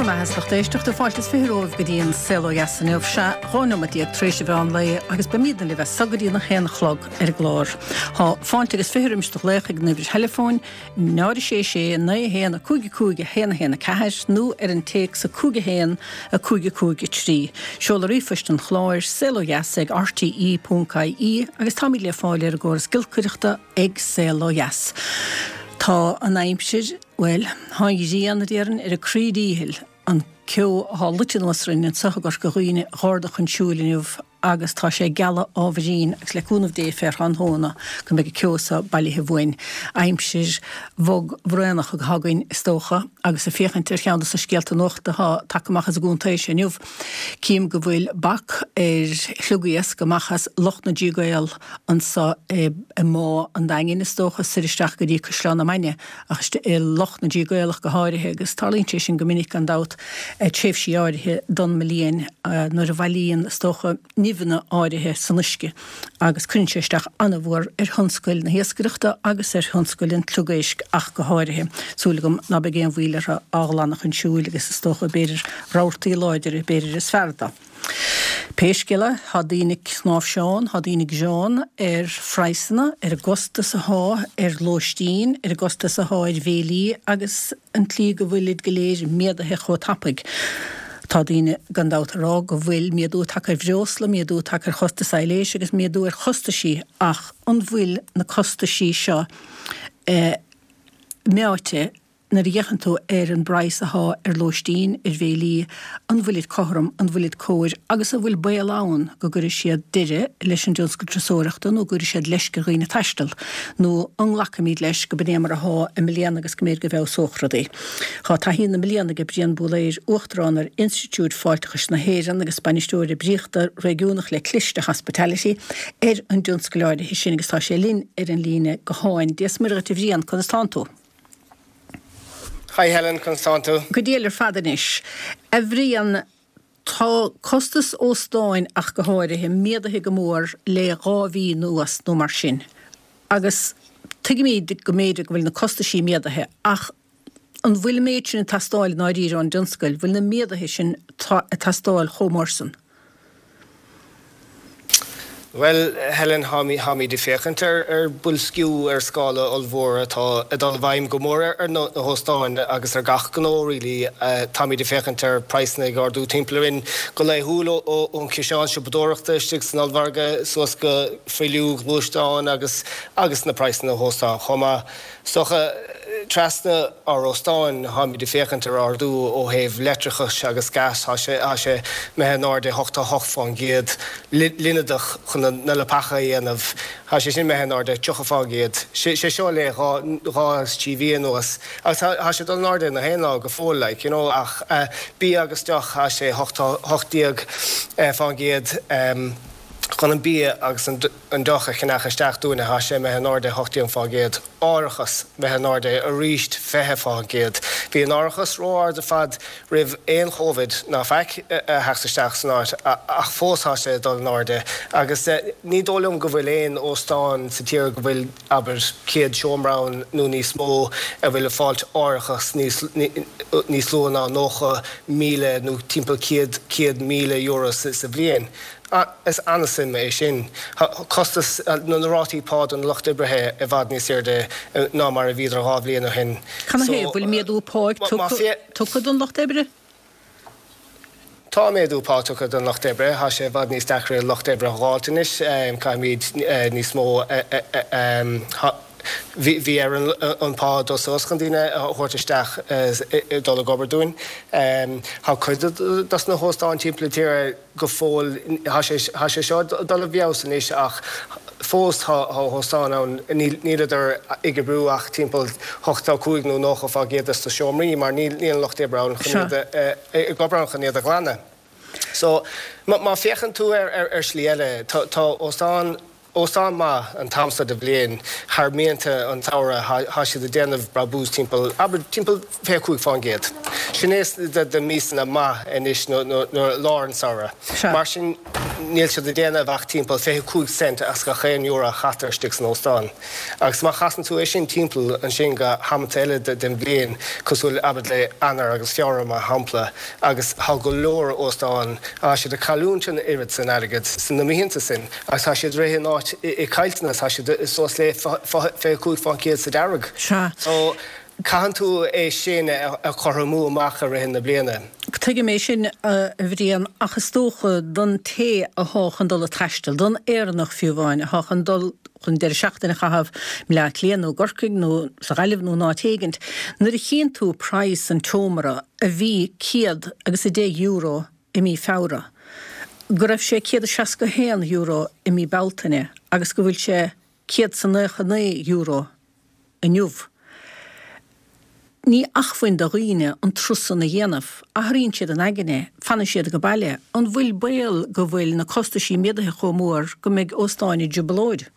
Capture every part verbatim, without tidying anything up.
Bhur mbeatha, a lucht éisteachta, fáilte is fiche romhaibh go dtí an Saol Ó Dheas inniu. Sea, dhá nóiméad déag tar éis an mheán lae agus beimidne libh as so go dtí an haon a chlog ar an gclár. Tá fáilte agus fiche roimis do ghlaoch ag an uimhir theileafóin, náid a sé sé naoi a haon a cúig a cúig a haon a haon a ceathair nó ar an téacs a cúig a haon a cúig a cúig a trí. Seoladh ríomhphoist an chláir, saolodheas ag rte ponc ie agus táimid le fáil ar an gcóras giolcaireachta ag Saol Ó Dheas. Tá an aimsir, bhuel, tá an ghrian, a déarfainn, ar a croí díchill, an ceo atá luite anuas orainn anseo i gCorca Dhuibhne dh'ardú chun siúil inniu agus tá sé ag gealadh ábhairín agus le cúnamh Dé fé thráthnóna go mbeidh an ceo so bailithe uainn. Aimsir bhog bhraonach atá againn is dócha agus ag féachaint ar cheann de na scéalta nuachta atá tagtha amach as an gcontae seo inniu cím go bhfuil bac ar shliogiasc amach as Loch na dTrí gCaol anso i mBá an Daingin is dócha soir isteach go dtí Caisleán na Mainge ach i Loch na dTrí gCaol ach go háirithe agus tarlaíonn sé sin go minic gan dabht ag tréimhsí áirithe don mbliain nuair a bhailíonn is dócha nimheanna áirithe san uisce agus cuireann sé isteach an-mhór ar thionscail na hiascaireachta agus ar thionscail an tsliogaéisc ach go háirithe. Súil agam ná beidh aon mhoill orthu á ghlanadh chun siúil agus is dócha b'fhéidir rabhartaí láidre b'fhéidir is fearr dó. Pé scéal é, thá daoine ag cnáimhseán, thá daoine ag gearán ar phraghsanna, ar an gcostas athá ar lóistín, ar an gcostas athá ar bhéilí agus an tslí go bhfuilid go léir méadaithe chomh tapaidh. Tá daoine, gan dabht, ag rá go bhfuil méadú tagtha ar bhreosla, méadú tagtha ar chostas aibhléise agus méadú ar chostaisí ach an bhfuil na costaisí seo meáite Nuair a fhéachann tú ar an bpraghas athá ar lóistín, ar bhéilí, an bhfuilid cothrom, an bhfuilid cóir agus an bhfuil baol ann go gcuirfidh siad deireadh leis an dtionscal turasóireachta nó go gcuirfidh siad leisc ar dhaoine taisteal? Nó an nglacfaimid leis go b'in é mar athá i mbliana agus go mb'fhéidir go bhfeabhsódh rudaí? Thá taithí na mblian aige Brian Búlaeir, Uachtarán ar Institiúid Fáilteachais na hÉireann agus Bainisteoir Oibríochta Réigiúnach le Cliste Hospitality, ar an dtionscal áirithe sin agus tá sé linn ar an líne gutháin. Dia 's Muire dhuit a Bhriain, conas tánn tú? Hi Helen, conas tánn tú? Go diail ar fad anois. A Bhriain, tá costas óstáin ach go háirithe méadaithe go mór le dhá mhí anuas nó mar sin agus tuigimid go mb'fhéidir go bhfuil na costaisí méadaithe ach an bhfuil an méid sin ag teastáil i ndáiríre ón dtionscal, bhfuil na méaduithe sin ag teastáil chomh mór san? Bhuel, Helen, táimid ag féachaint ar boilsciú ar scála ollmhór atá ag dul i bhfeidhm go mór ar na hóstáin agus ar gach gnó really. Táimid ag féachaint ar praghsanna ag ardú timpeall orainn go laethúil ón chiseán siopadóireachta istigh san ollmhargadh suas go fruiliú gluaisteáin agus agus na praghsanna hóstán chomh maith. Is dócha, trasna ár óstáin, táimid ag féachaint ar ardú ó thaobh leictreachais agus gas, tá sé tá sé imithe in airde ochtó a hocht fán gcéad, líneadach chun na leapacha a dhéanamh, tá sé sin imithe in airde tríocha fán gcéad. Sé seo le dhá dhá is trí mhí anuas agus tá tá sé ag dul in airde na haon lá go fóill like you know ach bia agus deoch tá sé ocht hocht déag fán gcéad chun an bia agus an an deoch a cheannach isteach dúinne, tá sé imithe in airde hocht déag fán gcéad. Árachas, imithe in airde arís fiche fán gcéad. Bhí an árachas ró-ard ar fad roimh aon Chóivid ná faic a theacht isteach san áit ach fós tá sé ag dul in airde agus ní dóigh liom go bhfuil aon óstán sa tír go bhfuil abair céad seomra ann nó níos mó a bhfuil ag fáilt árachas níos níos lú ná nócha míle nó timpeall céad céad míle euro sa bhliain. Is an-suim é sin. Tá costas na rátaí pá don lucht oibrithe i bhfad níos airde ná mar a bhíodar dhá bhliain ó shin. Cad 'na thaobh? Bhfuil méadú pá tugtha don lucht oibre? Tá méadú pá tugtha don lucht oibre. Tá sé i bhfad níos deacra lucht oibre a dh'fháilt anois. Caithfimid níos mó a. Bhí ar an pá dul suas chun daoine a thabhairt isteach ag dul ag obair dúinn. Tá cuid dos na hóstáin timpeall na tíre go fóill, tá sé tá sé seo ag dul i bhfeabhas anois ach fós tá hóstáin ann, níleadar ag oibriú ach timpeall ochtó cúig nó nócha fá gcéad dos na seomraí mar níl an lucht oibre ann chun iad ag obair ann chun iad a ghlanadh. So má féachann tú ar shlí eile tá óstán Óstán maith an t-am seo de bhliain, thar mhíonna an tsamhraidh, thá siad ag déanamh brabús timpeall, abair, timpeall fiche cúig fán gcéad. Sin é de míosanna maith anois nó lár an tsamhraidh. Mar sin, níl siad ag déanamh ach timpeall fiche cúig cent as gach aon euro a chaitear istigh san óstán. Agus má chasann tú é sin timpeall ansin go hamanta eile den bhliain, cosúil abair le Eanáir agus Feabhra mar shampla, agus tá go leor óstán, tá siad ag cailliúint an oiread san airgead sna míonna sin agus tá siad rith in áit i caillteanas, tá siad suas le fiche cúig fán gcéad sa dearg. Sea. So, caitheann tú é sin a chothromú amach i rith na bliana. Tuigim é sin, a Bhriain, ach is dócha don té athá chun dul ag taisteal, don Éireannach fiú amháin, athá chun dul chun deireadh seachtaine a chaitheamh i mBleá Cliath nó i gCorcaigh nó sa Ghaillimh nó in áit éigint, nuair a chíonn tú praghas an tseomra a bhí céad agus a deich euro i mí Feabhra, go raibh sé céad is seasca a haon euro i mí Bealtaine agus go bhfuil sé céad is a naocha naoi euro inniu. Ní acmhainn do dhaoine an turas san a dhéanamh. Athraíonn siad a n-aigne, fanann siad age baile. An bhfuil baol go bhfuil na costaisí méadaithe chomh mór go mbeidh óstáin i dtrioblóid?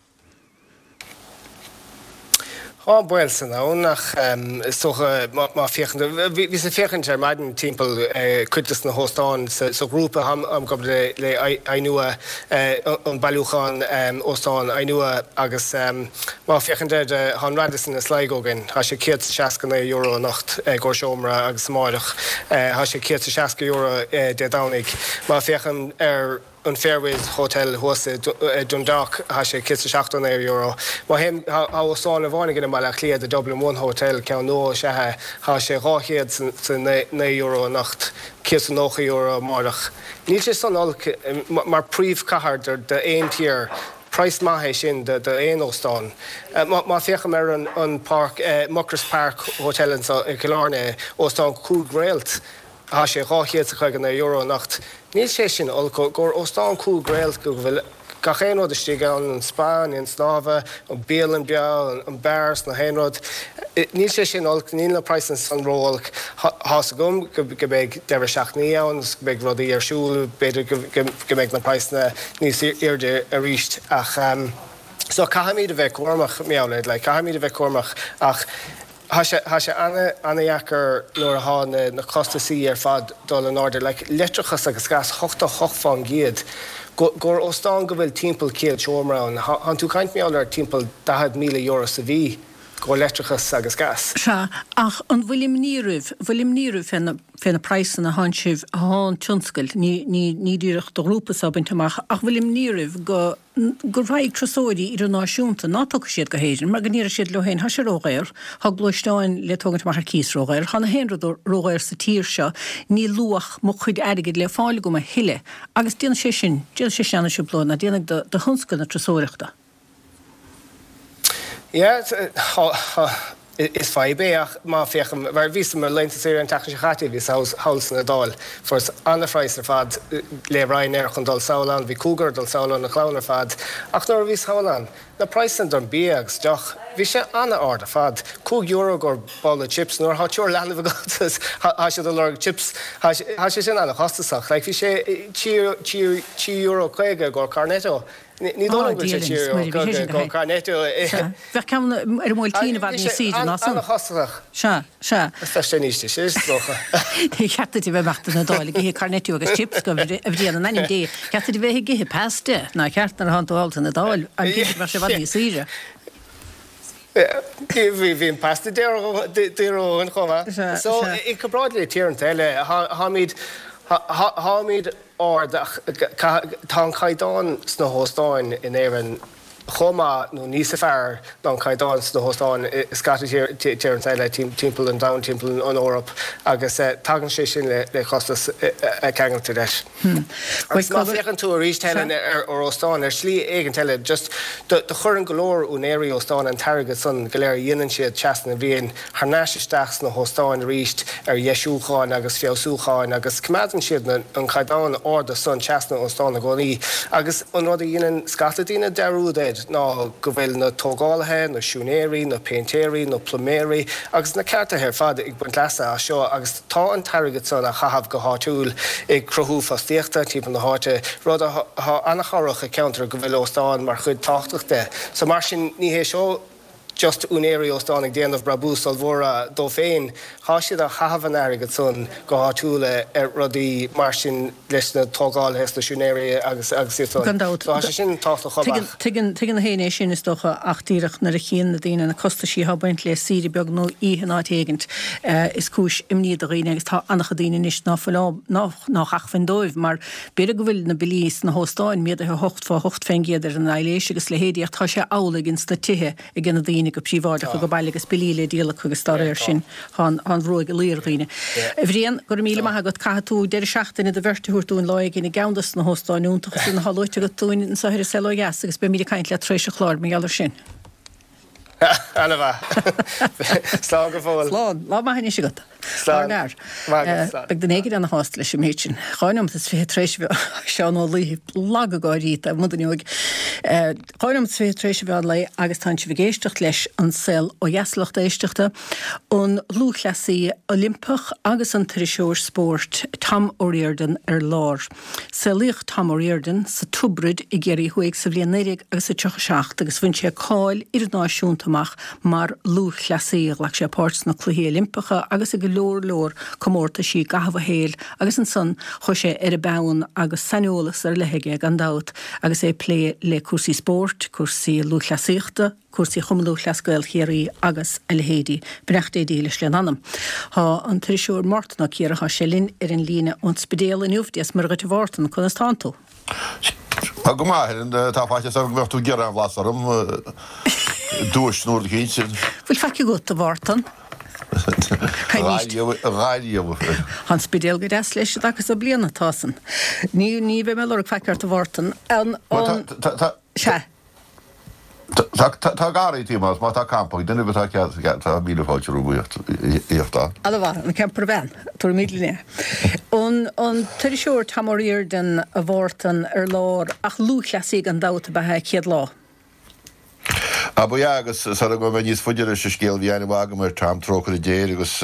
Tá an baol san ann ach is dócha má féachann tú, bhíos ag féachaint ar maidin timpeall cuid de na hóstáin sa ghrúpa ag obair le Aghaidh Nua, an bailiúchán óstán Aghaidh Nua agus má féachann tú air tá an Radisson i Sligo againn, tá sé céad is seasca naoi euro anocht i gcomhair seomra agus amáireach tá sé céad is seasca euro Dé Domhnaigh. Má féachaim ar an Fairways Hotel thuas i Dundalk, tá sé céad is seachtó naoi euro. Má théim, tá óstán amháin againn i mBaile Átha Cliath, The Dublin One Hotel, ceann nua is ea é, tá sé dhá chéad is a naoi euro anocht, céad is nócha euro amáireach. Níl sé san olc mar príomhchathair d'aon tír. Praghas maith é sin d'aon óstán. Má féachaim ar an Park, Muckross Park Hotel anseo i gCill Airne, óstán cúig réalt, Tá sé dhá chéad is caoga naoi euro anocht. Níl sé sin olc i gcomhair óstán cúig réalt go bhfuil gach aon rud istigh ann, an spa, an linn snámha, an bialann breá, an beár 's nach aon rud. Níl sé sin olc, níl na praghsanna san ró-olc. Tá's agam go mbeidh deireadh seachtainí ann is go mbeidh rudaí ar siúl, b'fhéidir go mbeidh na praghsanna níos airde arís ach so caithfimid a bheith cúramach, meall like caithfimid a bheith cúramach ach Tá sé, tá sé ana-dheacair nuair atá na, na costasaí ar fad dul in airde, like leictreachas agus gas ochtó hocht fán gcéad, i gcomhair óstán go bhfuil timpeall céad seomra ann, thánn tú caint mar gheall ar timpeall daichead míle euro sa mhí i gcomhair leictreachas agus gas. Sea, ach an bhfuil imní oraibh, bhfuil imní oraibh fé na, fé na praghsanna athánn sibh, athá an tionscal, ní, ní, ní díreach do ghrúpa-sa ag baint amach, ach bhfuil imní oraibh go, go raghaidh turasóirí idirnáisiúnta, ná tiocfaidh siad go hÉirinn mar go ndéarfaidh siad leo féin, 'Thá sé ródhaor, thá gluaisteáin le tógaint amach ar cíos ródhaor, thá na haon rud ródhaor sa tír seo, níl luach mo chuid airgid le fáil agam a thuilleadh. Agus déanfaidh sé sin, déanfaidh sé sin ana-thrioblóid, ná déanfaidh, do, do thionscal na turasóireachta. Yeah, tá, tá. Is fadhb é ach má féachaim, mar bhíos i mo laethanta saoire an tseachtain seo chaite, bhíos thall san Iodáil. Fuaireas an-phraghas ar fad le Ryanair chun dul sall ann, bhí cúigear ag dul sall ann, an chlann ar fad. Ach nuair a bhíos thall ann, na praghsanna don bia agus deoch, bhí sé an-ard ar fad. Cúig euro i gcomhair babhla chips, nuair atá triúr leanbh agat agus tá siad ag lorg chips, tá sé sin an-chostasach. Like bhí sé trí, trí euro caoga i gcomhair cornetto. Ní dóigh liom go bhfuil sé trí euro caoga i gcomhair cornetto. Bheadh ceann ar an mBuailtín i bhfad níos saoire ná san. An-chostasach. Sea, sea. Is fearr sin níos deise, is dócha. Ní cheart duit a bheith amach don Iodáil ag ithe cornetto agus chips, a Bhriain, in ainm Dé. Ceart duit a bheith ag ithe pasta, nár cheart nuair atánn tú thall san Iodáil, an cinnte go mbeadh sé i bhfad níos saoire. Bhí an pasta daor ó shin chomh maith. So, i gcomparáid le tíortha eile, táimid, táimid ard ach tá an caighdeán sna hóstáin in Éirinn chomh maith nó níos fearr ná an caighdeán sna hóstáin i scata tíortha eile timpeall an domhain, timpeall an Eoraip agus tagann sé sin le costas ceangailte leis. Agus má féachann tú arís, Helen, ar óstáin, ar shlí éigint eile, just do chuireann go leor úinéirí óstáin an t-airgead san go léir a dhéanann siad trasna an bhliain thar n-ais isteach sna hóstáin arís ar dheisiúcháin agus feabhsúcháin agus coimeádann siad an caighdeán arda san trasna óstán i gcónaí. Agus an rud a dhéanann scata daoine dearúd air ná go bhfuil na tógálaithe, na siúinéirí, na péintéirí, na pluiméirí agus na ceardaithe ar fad ag baint leasa as seo agus tá an t-airgead san á chaitheamh go háitiúil ag cruthú fostaíochta timpeall na háite, rud atá an-chabhrach i ceantar go bhfuil óstán mar chuid tábhachtach de. So mar sin ní hé seo just úinéirí óstán ag déanamh brabús ollmhóra dóibh féin, tá siad ag caitheamh an airgead san go háitiúil ar rudaí mar sin leis na tógálaithe is na siúinéirí agus agus iad san. Gan dabht. Tá sé sin tábhachtach chomh maith. Tuigeann tuigeann gach éinne é sin is dócha ach díreach nuair a chíonn na daoine na costaisí atá ag baint le saoire beag nó oíche in áit éigint is cúis imní do dhaoine agus tá an-chuid daoine anois ná fuil nách acmhainn dóibh mar b'fhéidir go bhfuil na billí sna hóstáin méadaithe hocht fá hocht fén gcéad ar an aibhléis agus leithéidí ach tá sé amhlaidh ins na tithe ag na daoine go príobháideach ag baile agus billí le díol acu agus dá réir sin tá an ruaig ag luí ar dhaoine. A Bhriain, go raibh míle maith agat, caithfidh tú deireadh seachtaine do bheirt a thabhairt dúinn lá éigin i gceann dos na hóstáin iontacha sin atá luaite agat dúinn anseo ar An Saol Ó Dheas agus beimid ag caint leat tar éis an chláir mar gheall air sin. Ana mhaith. Slán go fóill. Slán. Lá maith anois agat. Slán. Thar lear. Maith agat, slán. Beidh duine éigin ana-shásta leis an méid sin. Dhá neomat is fiche tar éis a bheith Seán Ó Laoi lag ag gáirí tá muid inniu. Dhá neomat is fiche tar éis an mheán lae agus tánn sibh ag éisteacht leis An Saol Ó Dheas lucht éisteachta, an lúthchleasaí Oilimpeach agus an t-iriseoir spóirt Tom O'Riordan ar lár. Saolaíodh Tom O'Riordan sa Tiobraid i gCiarraí Thuaidh sa bhliain naoi déag agus a tríocha seacht agus bhain sé cáil idirnáisiúnta amach mar lúthchleasaí. Ghlac sé páirt sna Cluichí Oilimpeacha agus i go leor leor comórtaisí i gcaitheamh a shaoil agus ansan chuaigh sé ar an bpeann agus saineolas ar leith aige gan dabht agus é ag plé le cúrsaí spóirt, cúrsaí lúthchleasaíochta, cúrsaí Chumann Lúthchleas Gael Chiarraí agus a leithéidí. Beannacht Dé dílis lena anam. Tá an t-iriseoir Mártan Ó Ciardha, tá sé linn ar an líne ón Spidéal inniu. Dia is Muire dhuit a Mhártain, conas tánn tú? Tá go maith, Helen. Tá faitíos orm go mbeadh tú ag iarraidh an bhlas orm, duais nó rud eicínt. Bhfuil faic agat, a Mhártain? Ghaillimh. Tá an Spidéal go deas leis an dtaca so bliana, tá san. Ní ní bheidh mé ag lorg faic ort a Mhártain. An, an, sea. Tá garraí taobh amuigh, má tá campa ag duine ar bith tá tá míle fáilte rompu thíocht ann. Ana mhaith, an camper van, tabharfaimid linn é. An an t-iriseoir Tom O'Riordan a Mhártain ar lár ach lúthchleasaí gan dabht ab ea é chéad lá. Á ba ea agus sara ngabhfaidh mé níos faide leis an scéal bhí aithne mhaith agam ar Tom, trócaire Dé air, agus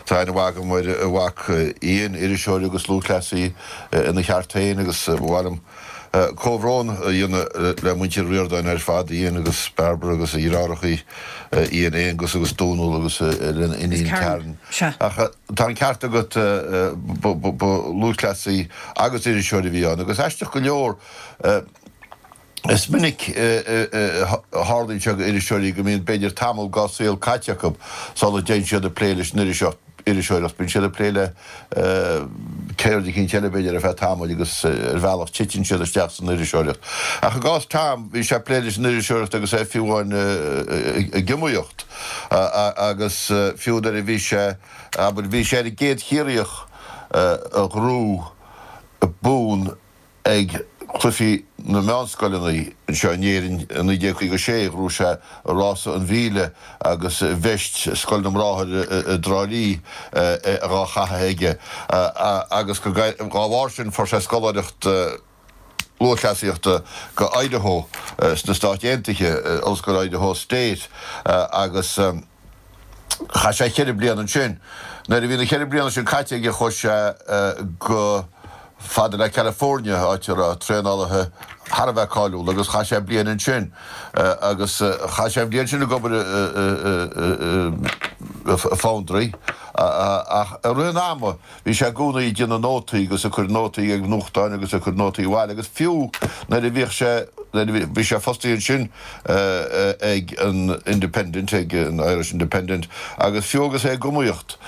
tá aithne mhaith agam ar a mhac Ian, iriseoir agus lúthchleasaí ina cheart féin agus ba mhaith liom comhbhrón a dhéanamh le muintir Ríordáin ar fad, Ian agus Barbara agus a dheartháireacha Ian, Aonghus agus Dónal agus lena Agus iníon Karen. Karen. Sea. Ach tá an ceart agat, ba lúthchleasaí agus iriseoir a bhí ann agus aisteach go leor, is minic a tharlaíonn sé go iriseoirí go mbíonn b'fhéidir tamall dá saol caite acu sula dtéann siad ag plé leis an iriseoireacht. Bíonn siad ag plé le ceird eicínt eile b'fhéidir ar feadh tamaill agus ar bhealach titeann siad isteach san iriseoireacht. Ach i gcás Tom, bhí sé ag plé leis an iriseoireacht agus é fiú amháin ag iomaíocht agus fiú nuair a bhí sé, abair, bhí sé ar an gcéad Chiarraíoch a ghnóthaigh bonn ag Cluichí na Meánscoileanna anseo in Éirinn i naoi déag caoga a sé, ghnóthaigh sé rása an mhíle agus veist Scoil na mBráthar i dTrá Lí dhá chaitheamh aige agus dá bharr sin fuair sé scoláireacht lúthchleasaíochta go Idaho sna Stáit Aontaithe, Ollscoil Idaho State agus. Chaith sé ceithre bliana ansin. Nuair a bhí na ceithre bliana sin caite aige chuaigh sé go fada le California, áit a raibh traenálaithe thar a bheith cáiliúil, agus chaith sé bliain ansin. Agus chaith sé an bhliain sin ag obair i foundry. Ach i rith an ama bhí sé i gcónaí ag déanamh nótaí agus ag cur nótaí ag nuachtáin agus ag cur nótaí abhaile agus fiú nuair a bhíodh sé, nuair a bhí sé fostaithe ansin ag an Independent, ag an Irish Independent, agus fiú agus é ag iomaíocht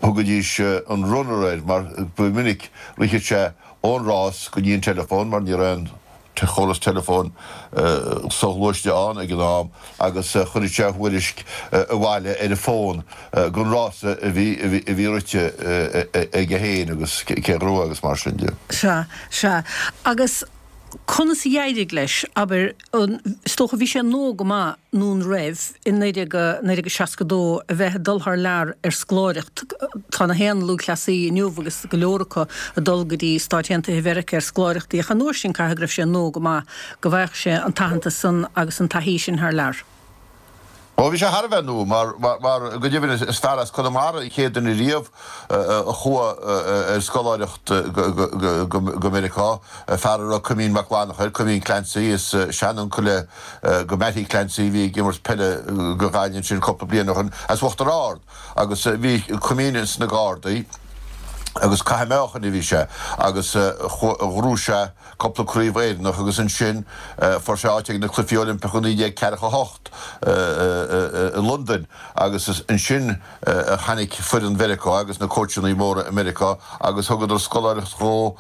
thugaidís an runner air mar ba mhinic ritheadh sé ón rás go dtí an teileafón mar ní raibh aon chóras teileafóin soghluaiste ann ag an am agus chuireadh sé a thuairisc abhaile ar an bhfón gon rása a bhí a bhí rite aige féin agus cé a ghnóthaigh agus mar sin de. Sea, sea. Agus conas a d'éirigh leis, abair, an, is dócha bhí sé an-óg go maith nó an raibh, i naoi déag, naoi déag seasca dó, a bheith ag dul thar lear ar scoláireacht. Tá na haon lúthchleasaí inniu agus go leor acu ag dul go dtí Stáit Aontaithe Mheiriceá ar scoláireachtaí ach an uair sin caithfidh go raibh sé an-óg go maith go bhfaigheadh sé an t-aitheantas san agus an taithí sin thar lear. Ó bhí sé thar a bheith nua mar, mar go deimhin is fear as Conamara an chéad duine riamh a chuaigh ar scoláireacht go Meiriceá, fear a raibh Cuimín Mac Fhlannchadha air, Cuimín Clancy, is seanuncail é go Mattie Clancy a bhí ag imirt peile go Gaillimh ansin cúpla bliain ó shin, as Uachtar Ard agus bhí Cuimín ins na Gardaí agus caitheamh meáchain a bhí sé agus ghnóthaigh sé cúpla craobh Éireannach agus ansin fuair sé áit ag na Cluichí Oilimpeacha naoi déag ceathracha a hocht i Londain agus ansin a tháinig foireann Mheiriceá agus na cóitseanna móra i Meiriceá agus thugadar scoláireacht dhó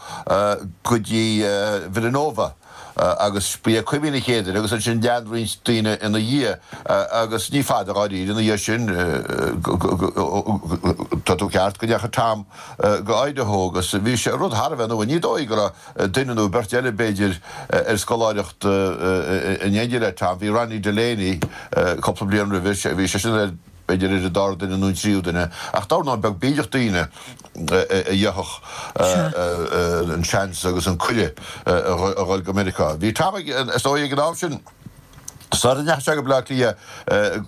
go dtí Villanova. Agus ba é Cuimín an chéad duine agus ansin lean roinnt daoine ina dhiaidh agus ní fada dháiríre ina dhiaidh sin, tá tú ceart, go ndeachaigh Tom go Idaho agus bhí sé rud thar a bheith nua. Ní dóigh go raibh duine nó beirt eile b'fhéidir ar scoláireacht in éindí le Tom. Bhí Ronnie Delaney cúpla bliain roimhe, bhí seisean ar b'fhéidir ar an dara duine nó an tríú duine, ach dornán beag bídeach daoine a gheobhadh an seans agus an cuireadh a dhul go Meiriceá. Bhí Tom, is dóigh, ag an am sin, sara ndeachaigh sé go Baile Átha Cliath,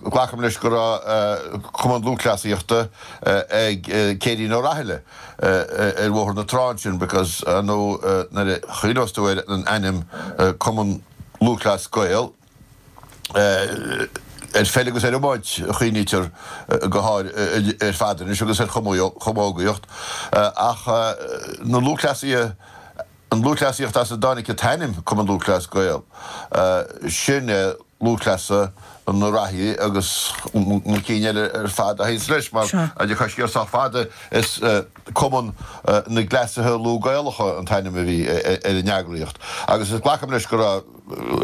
glacaim leis go raibh Cumann Lúthchleasaíochta ag Céirín Ó Rathaille ar Bhóthar na Trá ansin because nó nuair a chuimhneos tú ar an ainm Cumann Lúthchleas Gael, Ar pheil agus ar iomáint a chuimhnítear go háirithe ar fad anois agus ar chamógaíocht, ach na lúthchleasaithe, an lúthchleasaíocht as a dtáinig an t-ainm Cumann Lúthchleas Gael, sin é lúthchleasaithe na reathaí agus na cinn eile ar fad a théanns leis, mar a deir scéal sách fada, is Cumann na gCleasaithe Lúth Gaelacha an t-ainm a bhí ar an eagraíocht agus glacaim leis go raibh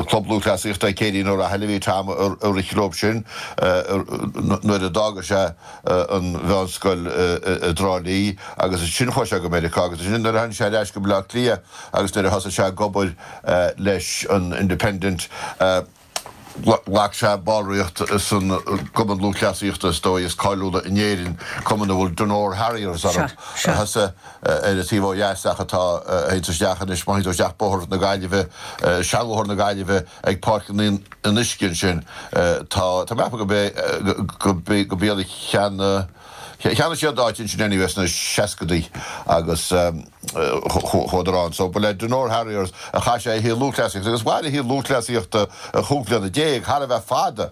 Club Lúthchleasaíochta ag Céirín Ó Rathaille, bhí Tom ag rith leo sin nuair a d'fhága sé an mheánscoil i dTrá Lí agus ansin chuaigh sé go Meiriceá agus ansin nuair a tháinig sé ar ais go Baile Átha Cliath agus nuair a thosaigh sé ag obair leis an Independent, Ghlac sé ballraíocht san gCumann Lúthchleasaíochta is dóigh is cáiliúla in Éirinn, cumann a bhfuil Donore Harriers orthu, a thosaigh ar an taobh ó dheas ach atá a théanns isteach anois, má théann tú isteach Bóthar na Gaillimhe, seanbhóthar na Gaillimhe ag Páirc an Fhionnuisce ansin, tá, tá mé ag ceapadh go b'é, go b'iad a cheannaigh, Cheannaigh siad áit ansin anyway sna seascadaí agus chuadar ann. So ba le Donore Harriers a chaith sé a shaol lúthchleasaíochta agus mhair a shaol lúthchleasaíochta chúig bliana déag, thar a bheith fada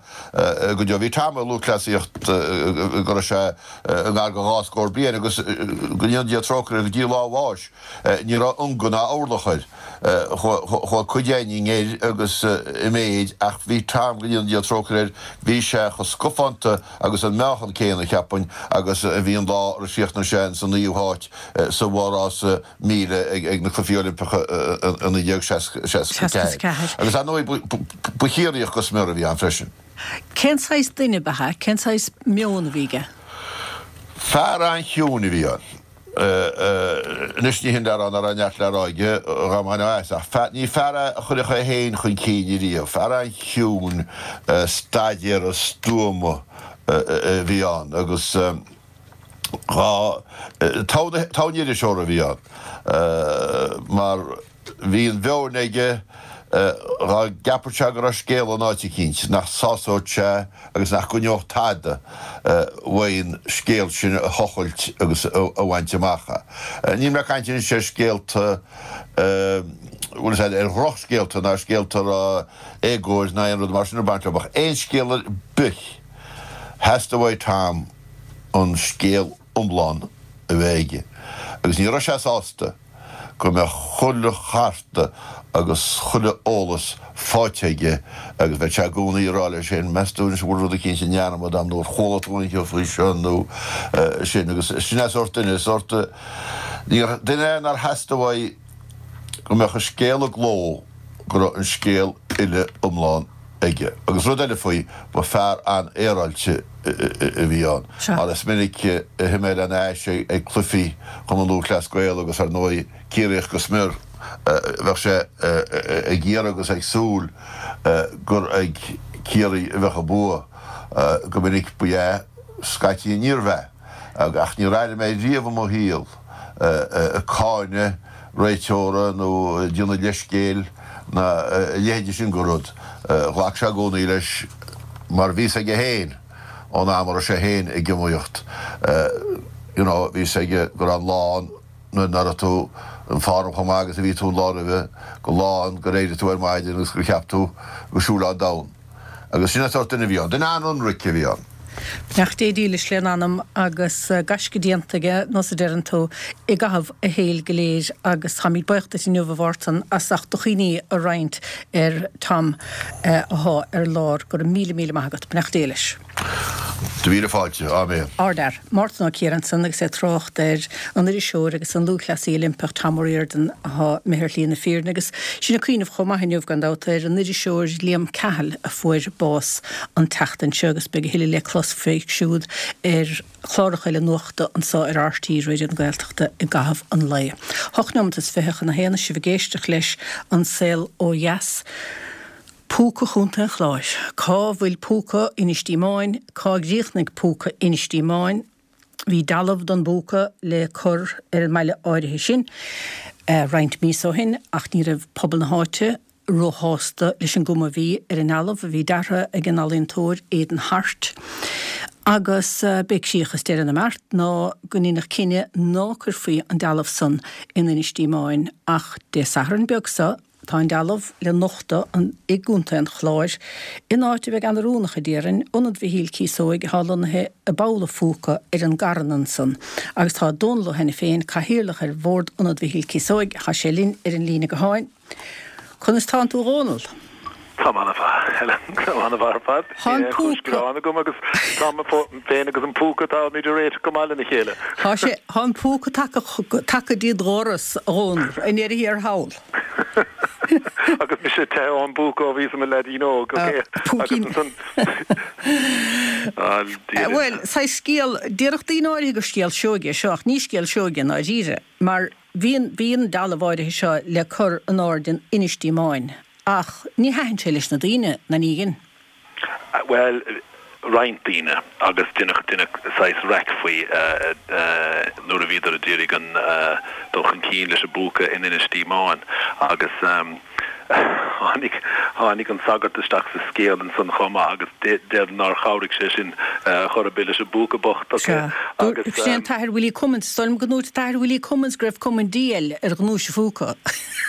go deo. Bhí Tom ag lúthchleasaíocht go raibh sé i ngar do dhá scór bliain agus go ndéana Dia trócaire air go dtí lá a bháis ní raibh ionga ná orlach air. Chuaigh cuid againn i ngeir agus i méid ach bhí Tom, go ndéana Dia trócaire air, bhí sé chomh scafánta agus an meáchan céanna, cheapfainn, agus a bhí an lá a chríochnaigh sé ins an naoú háit sa mhórrása míle ag na Cluichí Oilimpeacha i naoi déag seasca a ceathair. Agus ar ndóigh ba Chiarraíoch go smior a bhí ann freisin. Cén saghas duine ba ea? Cén saghas meon a bhí aige? Fear an-chiúin a bhí ann. Anois ní hin le rá nach raibh neart le rá aige, dá mbainfeá as, ach ní fear é a chuirfeadh é féin chun cinn ariamh. Fear an-chiúin, staidéartha, stuama a bhí ann agus dhá, togha an iriseora a bhí ann mar bhí an mheon aige dhá gceapfadh sé go raibh scéal in áit eicínt nach sásódh sé agus nach gcoinneodh tada uaidh an scéal sin a thochailt agus a bhaint amach. Níl mé ag caint anois ar scéalta, bhfuil fhios a'd, ar dhrochscéalta ná scéalta a raibh éagóir ná aon rud mar sin ag baint leo, ach aon scéal ar bith, theastaigh uaidh Tom an scéal iomlán a bheith aige agus ní raibh sé sásta go mbeadh chuile charta agus chuile eolas faighte aige agus bheadh sé i gcónaí ag rá leis féin, meas tú anois an bhfuil rud eicínt i ndearmad a'm nó ar chuala tú aon cheo faoi seo nó sin agus sin é sórt duine, sórt duine é nár theastaigh uaidh go mbeadh a scéal i gcló go raibh an scéal uile iomlán aige. Agus rud eile faoi, ba fear an-fhéaráilte a bhí ann, mar is minic a shuigh mé lena ais ag cluichí Chumann Lúthchleas Gael agus ar ndóigh Ciarraíoch go smior, bheadh sé ag iarraidh agus ag súil gur ag Ciarraí a bheadh an bua. Go minic ba ea, scaití níorbh ea. Ach níor airigh mé riamh i mo shaol ag cáineadh réiteora nó ag déanamh leithscéil ná a leithéide sin de rud. Ghlac sé i gcónaí leis Mar bhí a fhios aige féin ón am a raibh sé féin ag iomaíocht, you know, bhí a fhios aige go raibh an lá ann nuair nach raibh tú in form chomh maith agus a bhí tú an lá roimhe, go lá ann gur éirigh tú ar maidin agus gur cheap tú go siúlfá an domhan. Agus sin an sórt duine a bhí ann. Duine an-ionraic a bhí ann. Beannacht Dé dílis lena anam agus gaisce déanta aige, nós a deireann tú, i gcaitheamh a shaoil go léir agus táimid buíoch duit inniu a Mhártain as ucht do chuimhní a roinnt ar Tom athá ar lár. Go raibh míle míle maith agat. Beannacht Dé leis. Do mhíle fáilte. Áiméan. Ardfhear. Mártan Ó Ciaráin ansan agus é ag trácht ar an iriseoir agus an lúthchleasaí Oilimpeach Tom O'Riordan athá imithe ar shlí na fírinne agus sinn ag cuimhneamh chomh maith inniu gan dabht ar an iriseoir Liam Cahill a fuair bás an tseachtain seo agus beidh a thuilleadh le clos faoi siúd ar chláracha eile nuachta anseo ar RTÉ Raidió na Gaeltachta i gcaitheamh an lae. Hocht nóimeat is fiche chun a haon is sibh ag éisteacht leis An Saol Ó Dheas. Púca Chontae an Chláir. Cá bhfuil púca Inis Díomáin? Cá gcríochnaigh púca Inis Díomáin? Bhí dealbh don bpúca le cur ar an mbaile áirithe sin roinnt míosa ó shin ach ní raibh pobal na háite róshásta leis an gcuma a bhí ar an ndealbh a bhí deartha ag an ealaíontóir Aidan Harte. Agus b'é críoch is deireadh na mbeart ná go ndéanfadh cinneadh ná cuirfí an dealbh san in Inis Díomáin ach Dé Sathairn beag seo Tá an dealbh le nochtadh i gContae an Chláir, in áit a bheidh an-oiriúnach, a déarfainn, Ionad Mhichíl Cíosóig atá lonnaithe i bPoll a' Phúca ar an gCarn ansan. Agus tá Dónal Ó hAiniféin, Cathaoirleach ar Bhord Ionad Mhichíl Cíosóig, tá sé linn ar an líne gutháin. Conas tánn tú a Dhónaill? Táim ana-mhaith, Helen. Táim ana-mhaith ar fad. Tá an Níl aon chúis púca. gearáin agam agus tá mé féin agus an púca, táimid ag réiteach go maith lena chéile. Tá sé, tá an púca tagtha, tagtha go dtí do dhoras, a Dhónaill, i ndeireadh thiar thall. Agus mise ag teitheadh ón bpúca ó bhíos i mo leaidín óg, Ah, ok? Agus púicín. ansan, ah, Dia linn. Bhuel, saghas scéal, déarfadh daoine áirithe gur scéal seoigh é seo, ach ní scéal seoigh é i ndáiríre, mar bhí an, bhí an dealbh áirithe seo le cur in airde in Inis Díomáin. Ach ní thaitin sé leis na daoine, ná ní dhein. Bhuel, roinnt daoine, agus deineadh, deineadh saghas raic faoi nuair a bhíodar a d'iarraidh an dul chun cinn leis an bpúca in Inis Díomáin agus tháinig, tháinig an sagart isteach sa scéal ansan chomh maith agus déarfainn nár chabhraigh sé sin chor ar bith leis an bpúca bocht, ok, Sea. agus. Sin é an tAthair Willie Cummins. Is dóigh liom go ndúirt an tAthair Willie Cummins go raibh cuma an diabhail ar ghnúis an phúca.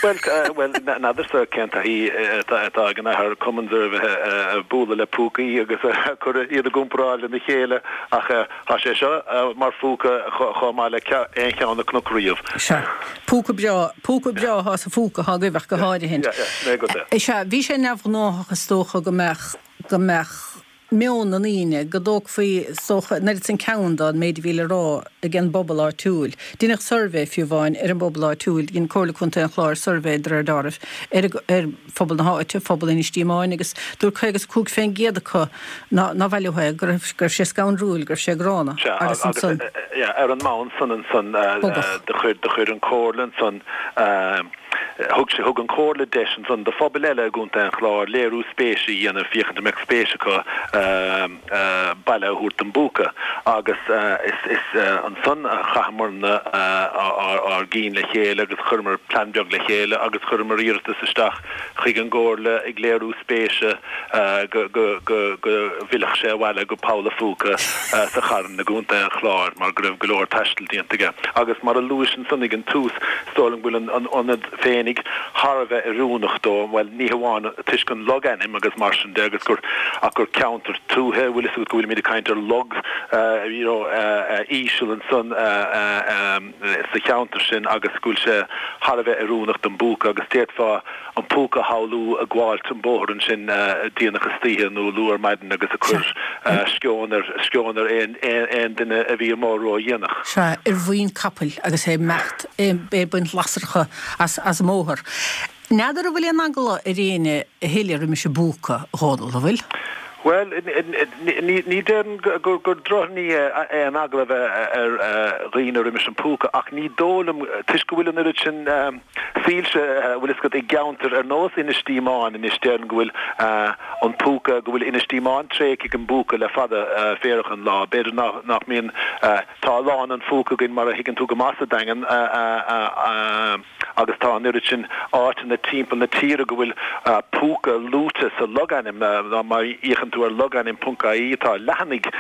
Bhuel, bhuel, n'fheadarsa cén taithí atá ag an Athair Cummins ar a bheith ag bualadh le púcaí agus ag cur iad i gcomparáid lena chéile ach tá sé seo mar phúca chomh maith le aon cheann a chonac riamh. Sea. Púca breá, púca breá atá sa phúca atá agaibh ach go háirithe. Yeah, yeah, sin é agat é. Sea, bhí sé neamhghnáthach is dócha go mbeadh, go mbeadh meon na ndaoine, go dtógfaí, is dócha, an oiread san ceann don méid a bhí le rá ag an bpobal áitiúil. Deineadh suirbhé, fiú amháin, ar an bpobal áitiúil, dhein Comhairle Contae an Chláir suirbhé, de réir dealraimh, ar, ar phobal na háite, phobal Inis Díomáin, agus dúirt caoga is a cúig fén gcéad acu ná, nár mhaith leo é, go raibh, go raibh sé scanrúil, go raibh sé gránna. Sea, Agus agus, ansan. yeah, ar an mbonn san ansan, Bogadh. do chuir, do chuir an Chomhairle ansan, Thug sé, thug an Chomhairle deis ansan do phobail eile i gContae an Chláir léiriú spéise a dhéanamh féachaint an mbeadh spéis acu baile a thabhairt don bpúca agus is, is ansan a chaitheamarna ár gcinn le chéile agus chuireamar plean beag le chéile agus chuireamar iarratas isteach chuig an gComhairle ag léiriú spéise go, go, go, go bhfillfeadh sé abhaile go Poll a' Phúca sa Charn i gContae an Chláir mar go raibh go leor taistil déanta aige agus mar a luais ansan ag an tús, is dóigh liom go bhfuil an ionad féinig thar a bheith oiriúnach dó, bhuel, ní hamháin toisc an logainm agus mar sin de agus gur, ach gur ceantar tuaithe, bhfuil fhios agat go bhfuilimid ag caint ar log, you know, íseal ansan sa cheantar sin agus go bhfuil sé thar a bheith oiriúnach don bpúca agus d'fhéadfá an púca a shamhlú ag gabháilt an bóthar ansin déanach istoíche nó luath ar maidin agus ag cur sceon ar, sceon ar aon, aon duine a bhí amuigh ródhéanach. Sea, ar mhuin capaill agus é ag imeacht, é ag baint lasracha as, as an mbóthar. N'fheadar an bhfuil aon eagla ar éinne a thuilleadh roimis an bpúca, a Dhónaill, an bhfuil? Bhuel, ní déarfainn gur drochní é aon eagla a bheith ar dhaoine roimis an bpúca ach ní dóigh liom, toisc go bhfuil an oiread sin soilse, bhfuil fhios agat, i gceantair ar nós Inis Díomáin anois, déarfainn go bhfuil an púca, go bhfuil Inis Díomáin tréigthe ag an bpúca le fada féarach an lá. B'fhéidir nach mbíonn, tá a lán an phúca againn mar a thuigeann tú go maith sa Daingean. agus tá an oiread sin áiteanna timpeall na tíre go bhfuil púca luaite sa logainm. Má fhéachann tú ar logainm ponc ie tá leathanaigh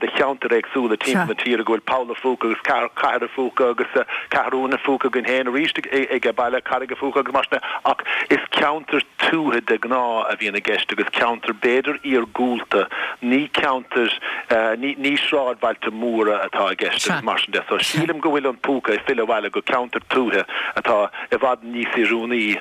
de cheantair éagsúla timpeall na tíre go bhfuil Poll a' Phúca agus Cathair a' Phúca agus Ceathrú an Phúca againn féin arís ag baile Carraig a' Phúca agus mar sin de ach is ceantar tuaithe de ghnáth a bhíonn i gceist agus ceantar b'fhéidir iargúlta, ní ceantar, ní sráidbhailte móra atá i gceist agus mar sin de. So sílim go bhfuil an púca ag filleadh abhaile go ceantar tuaithe atá i bhfad níos oiriúnaí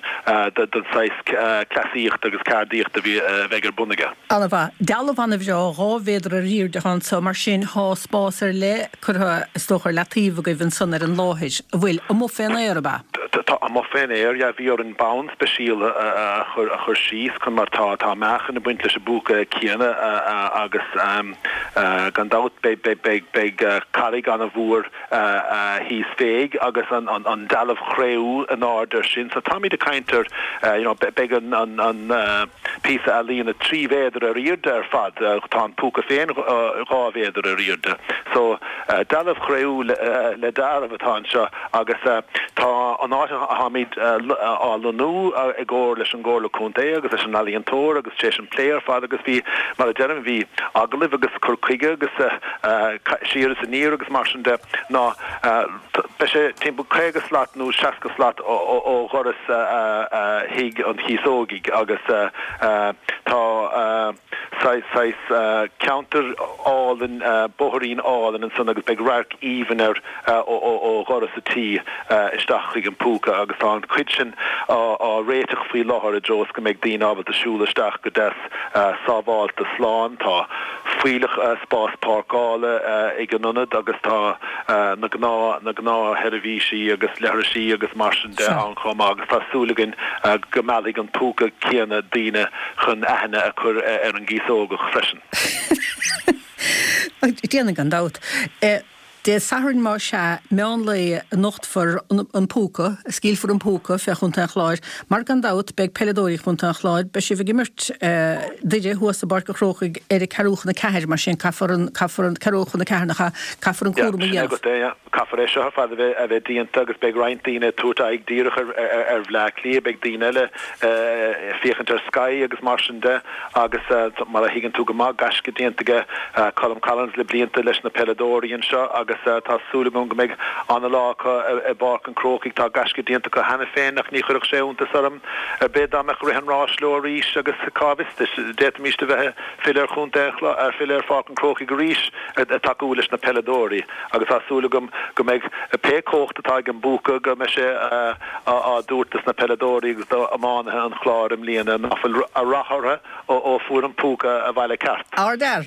don saghas cleasaíochta agus ceardaíochta a bheidh ar bun aige. Ana-mhaith. Dealbh ana-bhreá, dhá mhéadar ar airde atá anso, mar sin thá spás ar leith curtha is dócha ar leataobh agaibh ansan ar an láthair, a bhfuil, amuigh fén aer, ab ea? Tá amuigh fén aer, yeah. Bhí orainn bonn speisialta a chur a chur síos chun mar tá tá meáchan ag baint leis an bpúca céanna agus gan dabht beidh beidh beidh beidh carraig ana-mhór thíos fé agus an an an dealbh chré-umha in airde air sin. So táimid ag caint ar you know beidh an an an píosa ealaíona trí mhéadar ar airde ar fad, tá an púca féin dhá mhéadar ar airde. So dealbh chré-umha le dealramh atá anseo agus tá an áit a tháimid á lonnú i gcomhar leis an gComhairle Contae agus leis an ealaíontóir agus tar éis an plé ar fad agus bhí, mar a deirim, bhí agallaimh agus cur chuige agus siar is aniar agus mar sin de ná beidh sé timpeall caoga slat nó seasca slat ó dhoras Thigh an Chíosógaigh agus tá saghas ceantar álainn, bóithrín álainn ansan agus beidh radharc aoibhinn air ó dhoras an tí isteach chuig an Púca agus tá an chuid sin á réiteach faoi láthair i dtreo is go mbeidh daoine ábalta siúl isteach go deas sábháilte slán. Tá fuílleach spás páirceála ag an ionad agus tá na gnáth na gnáthsheirbhísí agus leithrisí agus mar sin de ann chomh maith agus tá súil againn go meallfaidh an Púca céanna daoine chun aithne a chur ar an gCíosógach freisin. Déanfaidh gan dabht. Dé Sathairn más ea, meán lae, a nochtfar an Púca, a scaoilfear an Púca fé Chontae an Chláir, mar gan dabht beidh peileadóirí Chontae an Chláir, beidh sibh ag imirt Doire thuas i bPáirc an Chrócaigh ar a ceathrú chun a ceathair, mar sin caithfear an, caithfear an, ceathrú chun a ceathair nach ea, caithfear an cúram a Yeah, sin dhéanamh. agat é, yeah. Caithfear é seo ar fad a bheith, a bheith déanta agus beidh roinnt daoine ag tabhairt aghaidh díreach ar, ar, ar Bhleá Cliath, beidh daoine eile ag féachaint ar Sky agus mar sin de agus mar a thuigeann tú go maith, gaisce déanta aige Colm Collins le blianta leis na peileadóirí anseo agus tá súil agam go mbeidh ana-lá acu i bPáirc an Chrócaigh. Tá gaisce déanta acu cheana féin ach ní chuirfeadh sé iontas orm ar bith dá mbeadh rith an ráis leo arís agus cá bhfios duit, d'fhéadfaimis a bheith ag filleadh ar chontae an Chláir, ag filleadh ar Pháirc an Chrócaigh arís ag tacú leis na peileadóirí agus tá súil agam go mbeidh pé cumhacht atá ag an bpúca go mbeidh sé á dtabhairt dos na peileadóirí agus d'iománaithe an Chláir i mbliana ná fuil a rath orthu ó fuair an púca a bhaile ceart. Ardfhear!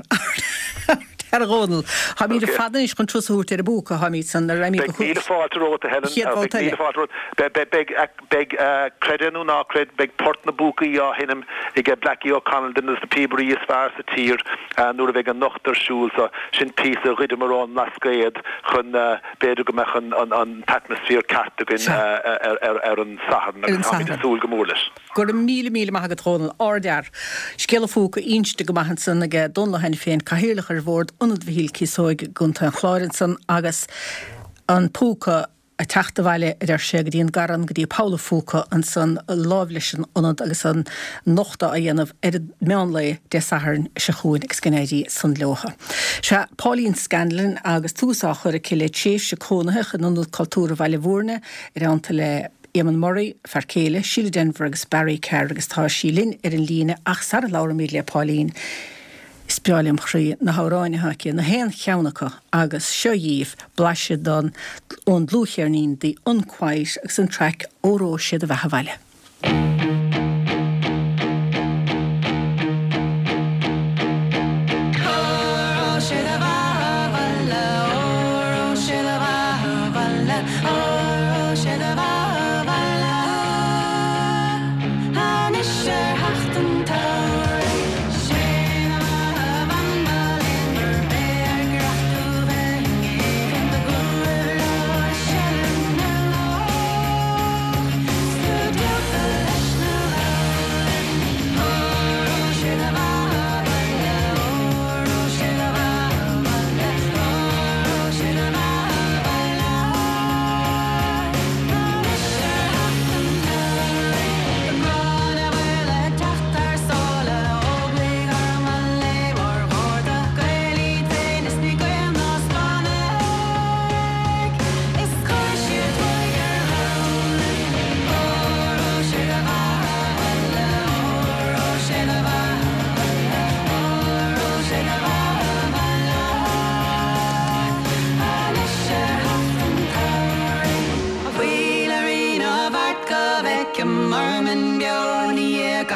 Ardfhear a Dhónaill. Táimid ar fad anois chun turas a thabhairt ar an bpúca, táimid san ar Beidh míle fáilte romhat a Helen. chéad Beidh bhabhta míle eile. fáilte romhat. Beidh, beidh, creid é nó ná creid, beidh Port na bPúcaí á sheinm ag Blackie O'Connell, duine dos na píobairí is fearr sa tír, nuair a bheidh an nochtadh ar siúl. So, sin píosa a ghoideamar ón mBlascaod chun b'fhéidir go mbeadh an, an, an t-atmaisféar ceart againn Sea. ar, ar, ar an Satharn Ar an agus táimid ag Satharn. súil go mór leis. Go raibh míle míle maith agat a Dhónaill. Ardfhear. Scéal an Phúca inste go maith ansan aige Dónal Ó hAiniféin, Cathaoirleach ar Bhord Ionad Mhichíl Cíosóig i gContae an Chláir ansan agus an Púca ag teacht abhaile a deir sé go dtí an gCarn go dtí Poll a' Phúca ansan láimh leis an ionad agus an nochtadh á dhéanamh ar an meán lae Dé Sathairn seo chugainn agus go n-éirí san leotha. Sea, Pauline Scanlon agus tús á chur aici le tréimhse cónaitheach in Ionad Cultúrtha Bhaile Bhúirne i dteannta le Éamonn Murray, fear céile, Síle Denvir agus Barry Carr agus tá sí linn ar an líne ach sara labhraímid le Pauline, is breá lem chroí na hamhráin atá aici, na haon cheann acu agus seo dhíbh blaiseadh don ón dlúthcheirnín The Unquiet agus an traic Óró Sé do Bheatha 'Bhaile.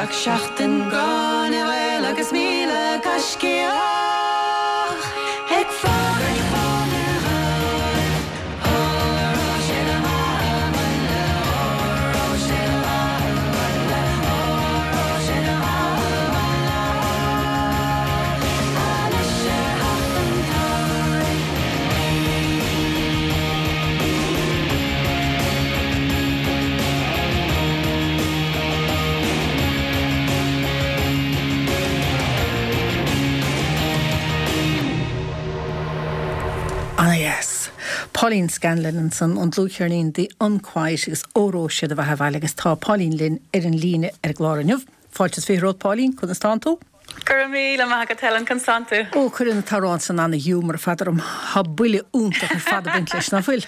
Gach seachtain gráinne mhaol agus míle gaiscíoch ag fógairt fáinne ghoir. Óró sé do bheatha abhaile, óró sé do bheatha abhaile, óró sé do bheatha abhaile. Anois ar theacht an tsamhraidh. Ana-dheas. Pauline Scanlon ansan ón dlúthcheirnín The Unquiet agus Óró Sé Do Bheatha Abhaile agus tá Pauline linn ar an líne ar an gclár inniu. Fáilte is fiche romhat Pauline, conas tánn tú? Go raibh míle maith agat Helen, conas tánn tú? Ó, cuireann an t-amhrán san ana-ghiúmar ar fad orm. Tá buille iontach ar fad ag baint leis, nach bhfuil?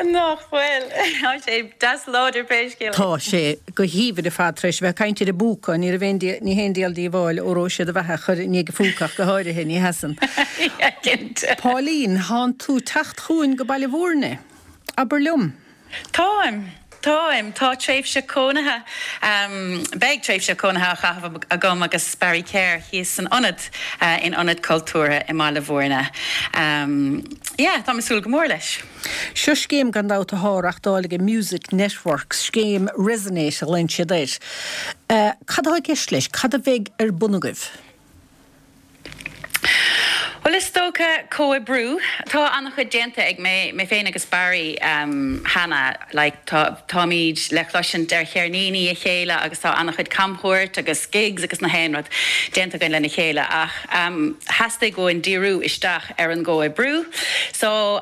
Nach bhfuil. Tá sé deas láidir pé scéal é. Tá sé go haoibhinn ar fad tar éis a bheith ag caint ar an bpúca, ní raibh aon ní haon diabhal díobháil óró sé do bheatha a chur i ndiaidh an phúca ach go háirithe, ní sheasann. Cinnte. Pauline, thánn tú teacht chugainn go Baile Mhúirne. Abair liom. Táim. Táim. Tá tréimhse cónaithe, beidh tréimhse cónaithe á chaitheamh agam agus Barry Kerr thíos san ionad, in Ionad Cultúrtha i mBaile Mhúirne. Yeah, táim ag súil go mór leis. Seo scéim gan dabht atá á reachtáil ag Music Networks, scéim Resonate a ghlaonn siad air. Cad atá i gceist leis? Cad a bheidh ar bun agaibh? Bhuel, is dócha comhoibriú. Tá an-chuid déanta ag mé, mé féin agus Barry cheana. Like, tá, táimid le cloisint ar cheirníní a chéile agus tá an-chuid camchuairt agus gigs agus na haon rud déanta againn lena chéile ach theastaigh uainn díriú isteach ar an gcomhoibriú. So,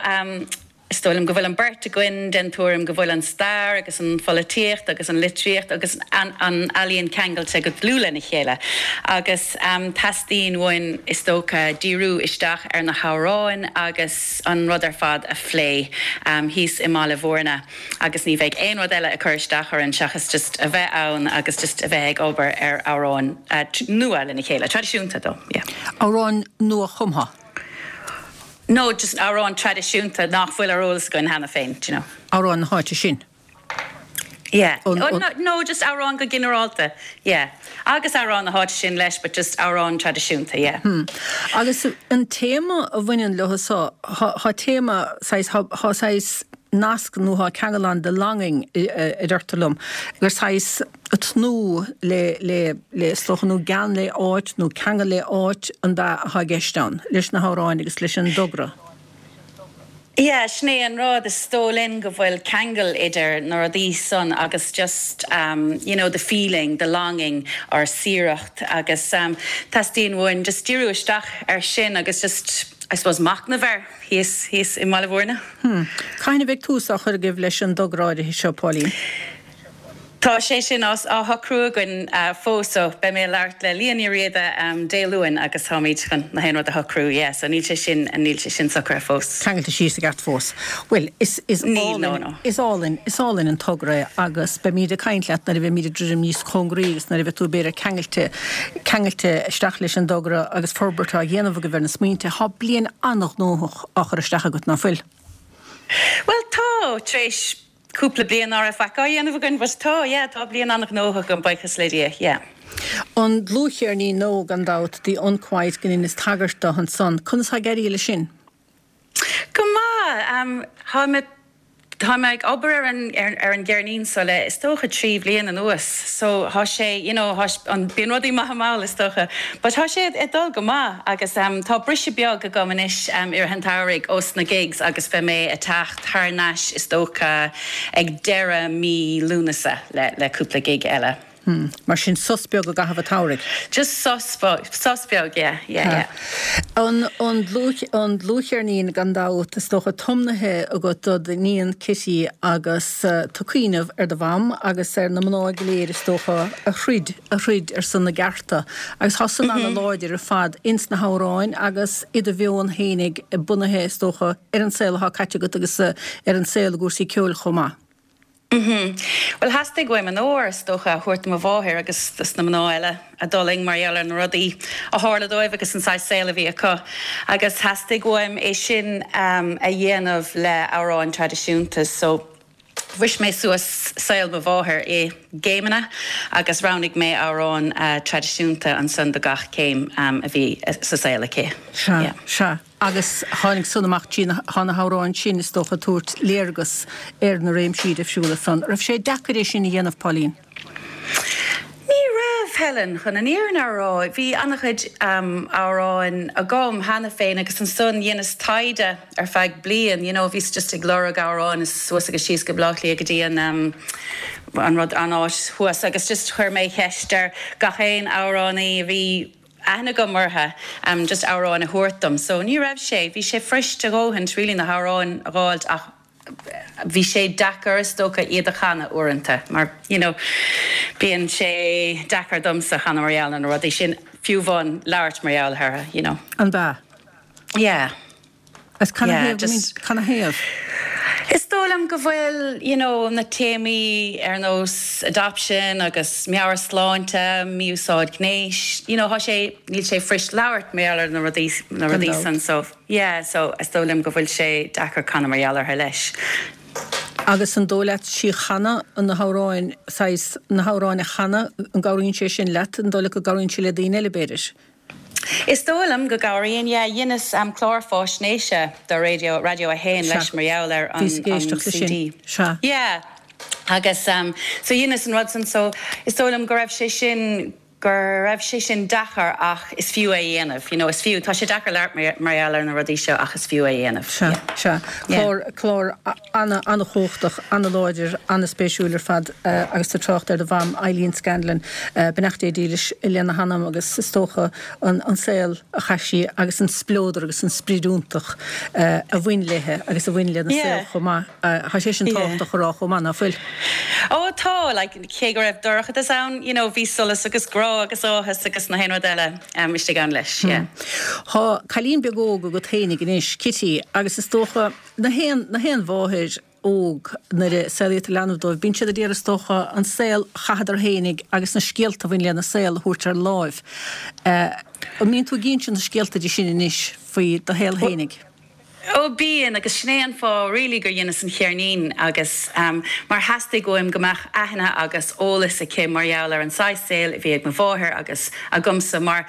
Is dóigh liom go bhfuil an beirt againn den tuairim go bhfuil an stair agus an pholaitíocht agus an litríocht agus an ealaíon ceangailte go dlúth lena chéile agus teastaíonn uainn, is dócha, díriú isteach ar na hamhráin agus an rud ar fad a phlé thíos i mBaile Mhúirne agus ní bheidh aon rud eile ag cur isteach orainn seachas just a bheith ann agus just a bheith ag obair ar amhráin nua lena chéile, traidisiúnta though, yeah. Amhráin nua-chumtha? No, just amhráin traidisiúnta nach bhfuil ar eolas againn cheana féin, do you know. Amhráin na háite sin? Yeah. Oh, no, no, just amhráin go ginearálta, yeah. Agus amhráin na háite sin leis, but just amhráin traidisiúnta, yeah. Hmm. Agus an téama a bhaineann leo so, thá téama saghas, thá saghas nasc nó thá ceangal ann the longing a deirtear liom, gur saghas tnúth le, le, le, is dócha, nó gean le áit nó ceangal le áit an ea atá i gceist ann leis na hamhráin agus leis an dtogra. Yeah, sin é an rud, is dóigh linn go bhfuil ceangal idir na rudaí san agus just um you know the feeling, the longing, ár saoireacht agus um teastaíonn uainn just díriú isteach ar sin agus just I suppose machnamh air thíos, thíos i mBaile Mhúirne. Hmm. Cathain a bheidh tús á chur agaibh leis an dtogra áirithe seo, Pauline? Tá sé sin á shocrú againn fós so beidh mé ag labhairt le Liadh Ní Riada Dé Luain agus táimid chun na haon rud a shocrú, yeah, so níl sé sin, níl sé sin socraithe fós. Ceangailte síos i gceart fós. Bhuel, is, is Níl, no, álainn, no. is álainn, is álainn an togra é agus beimid ag caint leat nuair a bheimid ag druidim níos cóngaraí agus nuair a bheidh tú b'fhéidir ceangailte, ceangailte isteach leis an dtogra agus forbairt á dhéanamh agaibh ar na smaointe. Tá bliain an-ghnóthach á chur isteach agat, ná fuil? Bhuel, tá, tar éis cúpla bliain ná raibh faic á dhéanamh againn, but tá, yeah, tá bliain an-ghnóthach agam, buíochas le Dia, yeah. An dlúthcheirnín nua, gan dabht, The Unquiet go ndeineas tagairt dó ansan. Conas tá ag éirí leis sin? Go maith. Um, tá mé Tá mé ag obair ar an ar an gceirnín so le is dócha trí bhliain anuas so thá sé you know thá an bíonn rudaí maith mall is dócha but thá sé ag dul go maith agus um tá briseadh beag agam anois um i rith an tsamhraidh ós na gigs agus beidh mé ag teacht thar n-ais is dócha ag deireadh mí Lúnasa le le cúpla gig eile. Hmm. Mar sin sos beag i gcaitheamh an tsamhraidh? Just sos, sos beag, yeah, yeah, yeah. An, an dlúth, an dlúthcheirnín gan dabht, is dócha tiomnaithe agat do d'iníon Kitty agus tú ag cuimhneamh ar do mham agus ar na mná go léir is dócha a throid, a throid ar son na gcearta. Agus tá san an-láidir ar fad ins na hamhráin agus i do mheon fhéinig bunaithe is dócha ar an saol atá caite agat agus ar an saol i gcúrsaí ceoil chomh maith. Mhm. Bhuel, theastaigh uaim onóir, is dócha, a thabhairt do mo mháthair agus dos na mná eile a d'fhulaing mar gheall ar na rudaí a tharla dóibh agus an saghas saoil a bhí acu. Agus theastaigh uaim é sin a dhéanamh le amhráin traidisiúnta. So, Bhris mé suas saol mo mháthar i gcéimeanna agus roghnaigh mé amhráin traidisiúnta ansan do gach céim a bhí sa saol aici. Sea, sea. Agus tháinig san amach trí na, thá na hamhráin sin is dócha ag tabhairt léargas ar na réimsí difriúla san. Raibh sé deacair é sin a dhéanamh, Pauline? Ní raibh, Helen, chun an fhírinne a rá. Bhí an-chuid amhráin agam cheana féin agus ansan dheineas taighde ar feadh bliain, you know, bhíos just ag lorg amhráin is suas agus síos go Baile Átha Cliath go dtí an an rud, an áit thuas agus just chuir mé ceist ar gach aon amhránaí a bhí aithne agam orthu just amhráin a thabhairt dom. So ní raibh sé, bhí sé fuirist a dhóthaint really na hamhráin a dh'fháilt ach bhí sé deacair is dócha iad a chanadh uaireanta mar you know bíonn sé deacair domsa chanadh mar gheall ar na rudaí sin, fiú amháin labhairt mar gheall orthu, you know. An ea? Yeah. Is cad 'na thaobh, I mean, cad 'na thaobh? Is dóigh liom go bhfuil you know na téamaí ar nós adoption agus meabhairshláinte, mí-úsáid gnéis, you know thá sé, níl sé fuirist labhairt mar gheall ar na rudaí, na Gan rudaí dabht. san so yeah so is dóigh liom go bhfuil sé deacair canadh mar gheall orthu leis. Agus an dóigh leat trí chanadh na hamhráin, saghas, na hamhráin a chanadh, an gcabhraíonn sé sin leat, an dóigh leat go gcabhraíonn sé le daoine eile b'fhéidir? Is dóigh liom go gcabhraíonn, yeah. Dheineas clár fáisnéise do Radio, Raidió a haon Sea, leis mar gheall ar an, bhíos ag an éisteacht leis sin. CD. Sea. Yeah. Agus so dheineas an rud san so is dóigh liom go raibh sé sin, go raibh sé sin deacair ach is fiú é a dhéanamh, you know, is fiú, tá sé deacair labhairt mar, mar gheall ar na rudaí seo ach is fiú é a dhéanamh. Sea, Yeah. sea. Yeah. Clár, clár ana, ana-chumhachtach, ana-láidir, ana-spéisiúil ar fad agus tú ag trácht ar do mham, Eileen Scanlon, beannacht Dé dílis lena hanam agus is dócha an, an saol a chaith sí agus an spleodar agus an sprid iontach a bhain léithe agus a bhain lena saol Yeah. chomh maith. Tá sé sin Yeah. tábhachtach a rá chomh maith, ná fuil? Ó tá, like, cé go raibh dorchadas ann, you know, bhí solas agus grá agus áthas agus na haon rud eile um, istigh ann leis, yeah. Tá cailín beag óg agat fhéinig anois, Kitty, agus is dócha na haon, na haon mháthair óg nuair a saolaítear leanbh dóibh, bíonn siad ag iarraidh is dócha an saol a chaitheadar fhéinig agus na scéalta a bhain lena saol a thabhairt ar láimh. An mbíonn tú ag insint na scéalta di sin anois faoi do shaol fhéinig? Ó bíonn, agus sin é an fáth really gur dheineas an cheirnín agus mar theastaigh uaim go mbeadh aithne agus eolas aici mar gheall ar an saghas saoil a bhí ag mo mháthair agus agamsa mar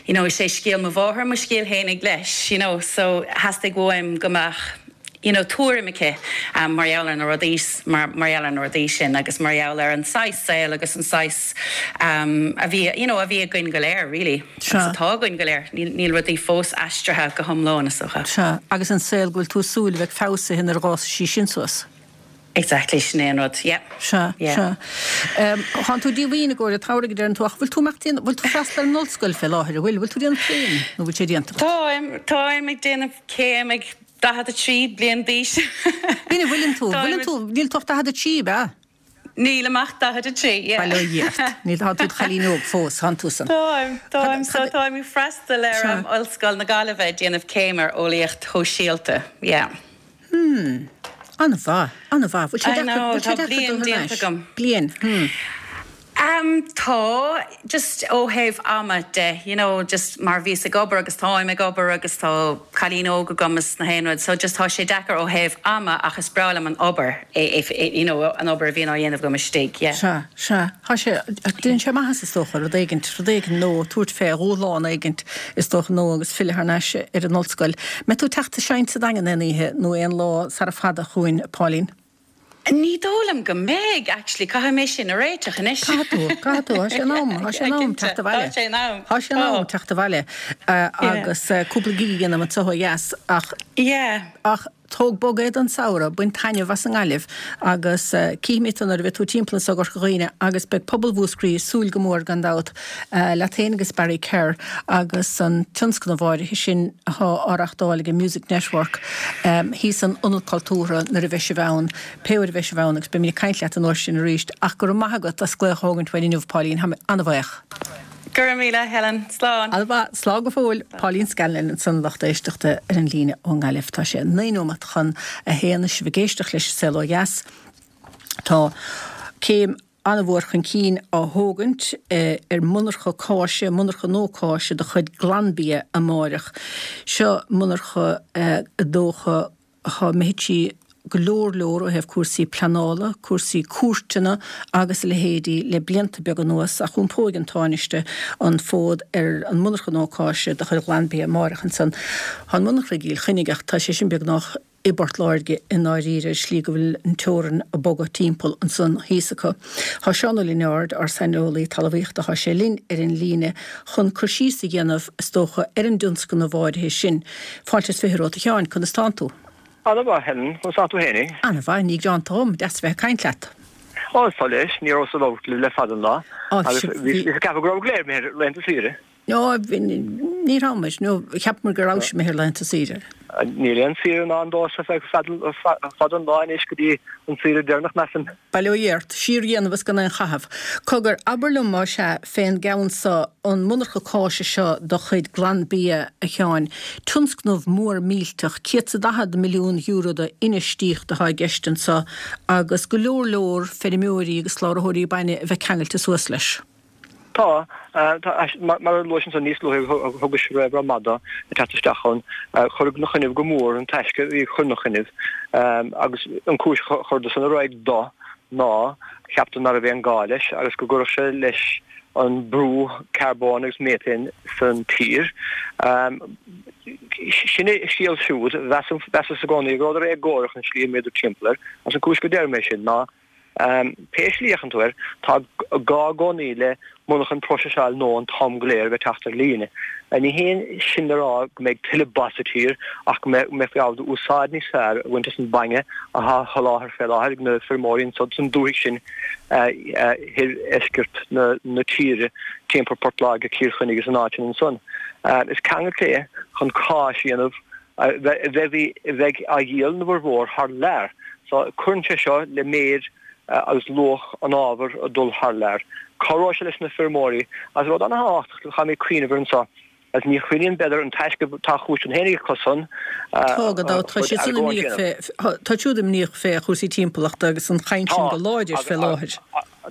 you know is é scéal mo mháthar mo scéal fhéinig leis you know so theastaigh uaim go mbeadh you know tuairim aici mar gheall ar na rudaí mar mar gheall ar na rudaí sin agus mar gheall ar an saghas saoil agus an saghas um, a bhí you know a bhí againn go léir really Sea. agus atá againn go léir níl níl rudaí fós aistrithe go hiomlán is dócha. Sea, agus an saol go bhfuil tú ag súil a bheith feabhsaithe nuair a dh'fhásfaidh sí sin suas. Exactly sin é an rud yeah. Sea, Yeah. sea. Um, Thánn tú díomhaoin i gcomhair an tsamhraidh a deireann tú ach bhfuil tú imeacht déanamh- bhfuil tú freastal ar an ollscoil fé láthair, an bhfuil? Bhfuil tú déanamh céim nó bhfuil sé déanta agat? Táim táim ag déanamh céim ag daichead a trí bliain d'aois. Bíonn, bhfuileann tú, Táim bhfuileann tú, níl tú ach daichead a trí, ab ea? Nílim ach daichead a trí, yeah. Bail ó Dhia ort. Níl, tá tú chailín óg fós, thánn túsan. Táim, táim, Cad- so cad- táim ag freastal ar Sea. um, Ollscoil na Gaillimhe ag déanamh céim ar eolaíocht shóisialta, yeah. Hmm. An-mhaith, an-mhaith. Bhfuil sé I deacair, know, bhfuil sé tá deacair bliain dul thar déanta n-ais? agam. Bliain, hmm. Um, tá, just ó thaobh ama de, you know, just mar bhíos ag obair agus táim ag obair agus tá cailín óg agam is na haon rud, so just tá sé deacair ó thaobh ama ach is breá liom an obair, é, é, é, you know, an obair a bhíonn á dhéanamh agam istigh, yeah. Sea, sea. Tá sé, déanann sé maitheas is dócha, rud éigint, rud éigint nó tabhairt fé dhúshlán éigint is dócha nó agus filleadh thar n-ais ar an ollscoil. Mbeidh tú ag teacht ag seinnt sa Daingean aon oíche nó aon lá sara fada chugainn, Pauline? Ní dóigh liom go mbeidh, actually, caithfidh mé sin a réiteach anois. Caithfidh tú, caithfidh tú, tá sé in am, tá sé in am teacht abhaile. Tá sé in am. Tá sé in am teacht abhaile agus cúpla gig a dhéanamh anseo ó dheas ach Yeah. ach tóg bog é don samhradh, bain taitneamh as an nGaillimh agus cífimid tú nuair a bheidh tú timpeall anseo i gCorca Dhuibhne agus beidh pobal Mhúscraí ag súil go mór gan dabht leat féin agus Barry Kerr agus an tionscnamh áirithe sin atá á reáchtáil ag an Music Network thíos san Ionad Cultúrtha nuair a bheidh sibh ann, pé uair a bheidh sibh ann agus beimid ag caint leat an uair sin arís. Ach go raibh maith agat as glaoch a thógaint uainn inniu, Pauline, tá mé an-bhuíoch. Go raibh míle, Helen. Slán. An-mhaith, slán go fóill. Pauline Scanlon ansan lucht éisteachta ar an líne ón nGaillimh. Tá sé naoi nóiméad chun a haon is sibh ag éisteacht leis an Saol Ó Dheas. Tá céim an-mhór chun cinn á thógaint ar mhonarcha cáise, monarcha nua cáise de chuid Glanbia amáireach. Seo monarcha a dócha, a mbeidh sí go leor leor ó thaobh cúrsaí pleanála, cúrsaí cúirteanna agus a leithéidí le blianta beaga anuas ach iompóidh an Tánaiste an fód ar an monarcha nua cáise de chuid Ghlanbia amáireach ansan. Tá an monarcha i gCill Chainnigh ach tá sé sin beagnach i bPort Láirge i ndáiríre, ar shlí go bhfuil an teorainn ag bogadh timpeall ansan thíos acu. Tá Seán Ó Lionáird, ár saineolaí talmhaíochta, tá sé linn ar an líne chun cur síos a dhéanamh, is dócha, ar an dtionscnamh áirithe sin. Fáilte is fiche romhat a Sheáin, conas tánn tú? Ana-mhaith, Helen, conas tá tú fhéinig? Ana-mhaith, ní gearán dom, deas a bheith ag caint leat. Ó, is tá leis, ní rabhas ag labhairt libh le fada an lá, agus bhí ag ceapadh go raibh go léir imithe ar laethanta saoire. No, ní rabhamar, nó cheapamar go raibh sibh imithe ar laethanta saoire. Níl aon saoire i ndán domhsa feadh fada an lá anois go dtí an saoire deireanach, measaim. Bail ó Dhia ort, siar a dhéanamh is gan aon chaitheamh. Cogar, abair liom más ea, fén gceann so, an monarcha cáise seo de chuid Glanbia, a Sheáin, tionscnamh mór millteach, céad 's a daichead milliún euro d'infheistíocht atá i gceist anso agus go leor leor feirmeoirí agus slabhraitheoirí bainne a bheith ceangailte suas leis. Tá. Mar a luais ansan níos luaithe, thugais réamhrá maith dó ag teacht isteach ann. Chuir na coinnibh go mór, an Taisce a bhí ag cur na coinnibh, agus an cúis a chuireadar san ar aghaidh dó ná cheapadar ná raibh aon gá leis agus go gcuirfeadh sé leis an brú carbóin agus méatain san tír. Sin a scéal siúd. Mheasas i gcónaí go rabhadar éagórach an slí a mbíodar timpeall air, agus an cúis go deirim é sin ná Pé slí a fhéachann tú air, tá gá i gcónaí le monarchan próiseála nua an t-am go léir a bheith teacht ar líne. Ní hé sin le rá go mbeidh tuilleadh ba sa tír ach go mbeifí ábalta úsáid níos fearr a bhaint as an bainne atá á sholáthar fé láthair ag na feirmeoirí anso san dúthaigh sin thoir dheisceart na tíre, timpeall Port Láirge, Cill Chainnigh agus an áit sin ansan. Is ceangailt é chun cáis a dhéanamh a bheidh á dhíol ina bhformhór thar lear. So, cuireann sé seo le méid agus luach an ábhair ag dul thar lear. Cabhróidh sé leis na feirmeoirí agus rud ana-thábhachtach a chaithfimid cuimhneamh air anseo, agus ní chuimhníonn b'fhéidir an Taisce, tá a chúiseanna féin acu san, Tá, gan dabht, tá siad san imníoch fé, tá siúd imníoch fé chúrsaí timpeallachta agus an chaint sin go láidir fé láthair.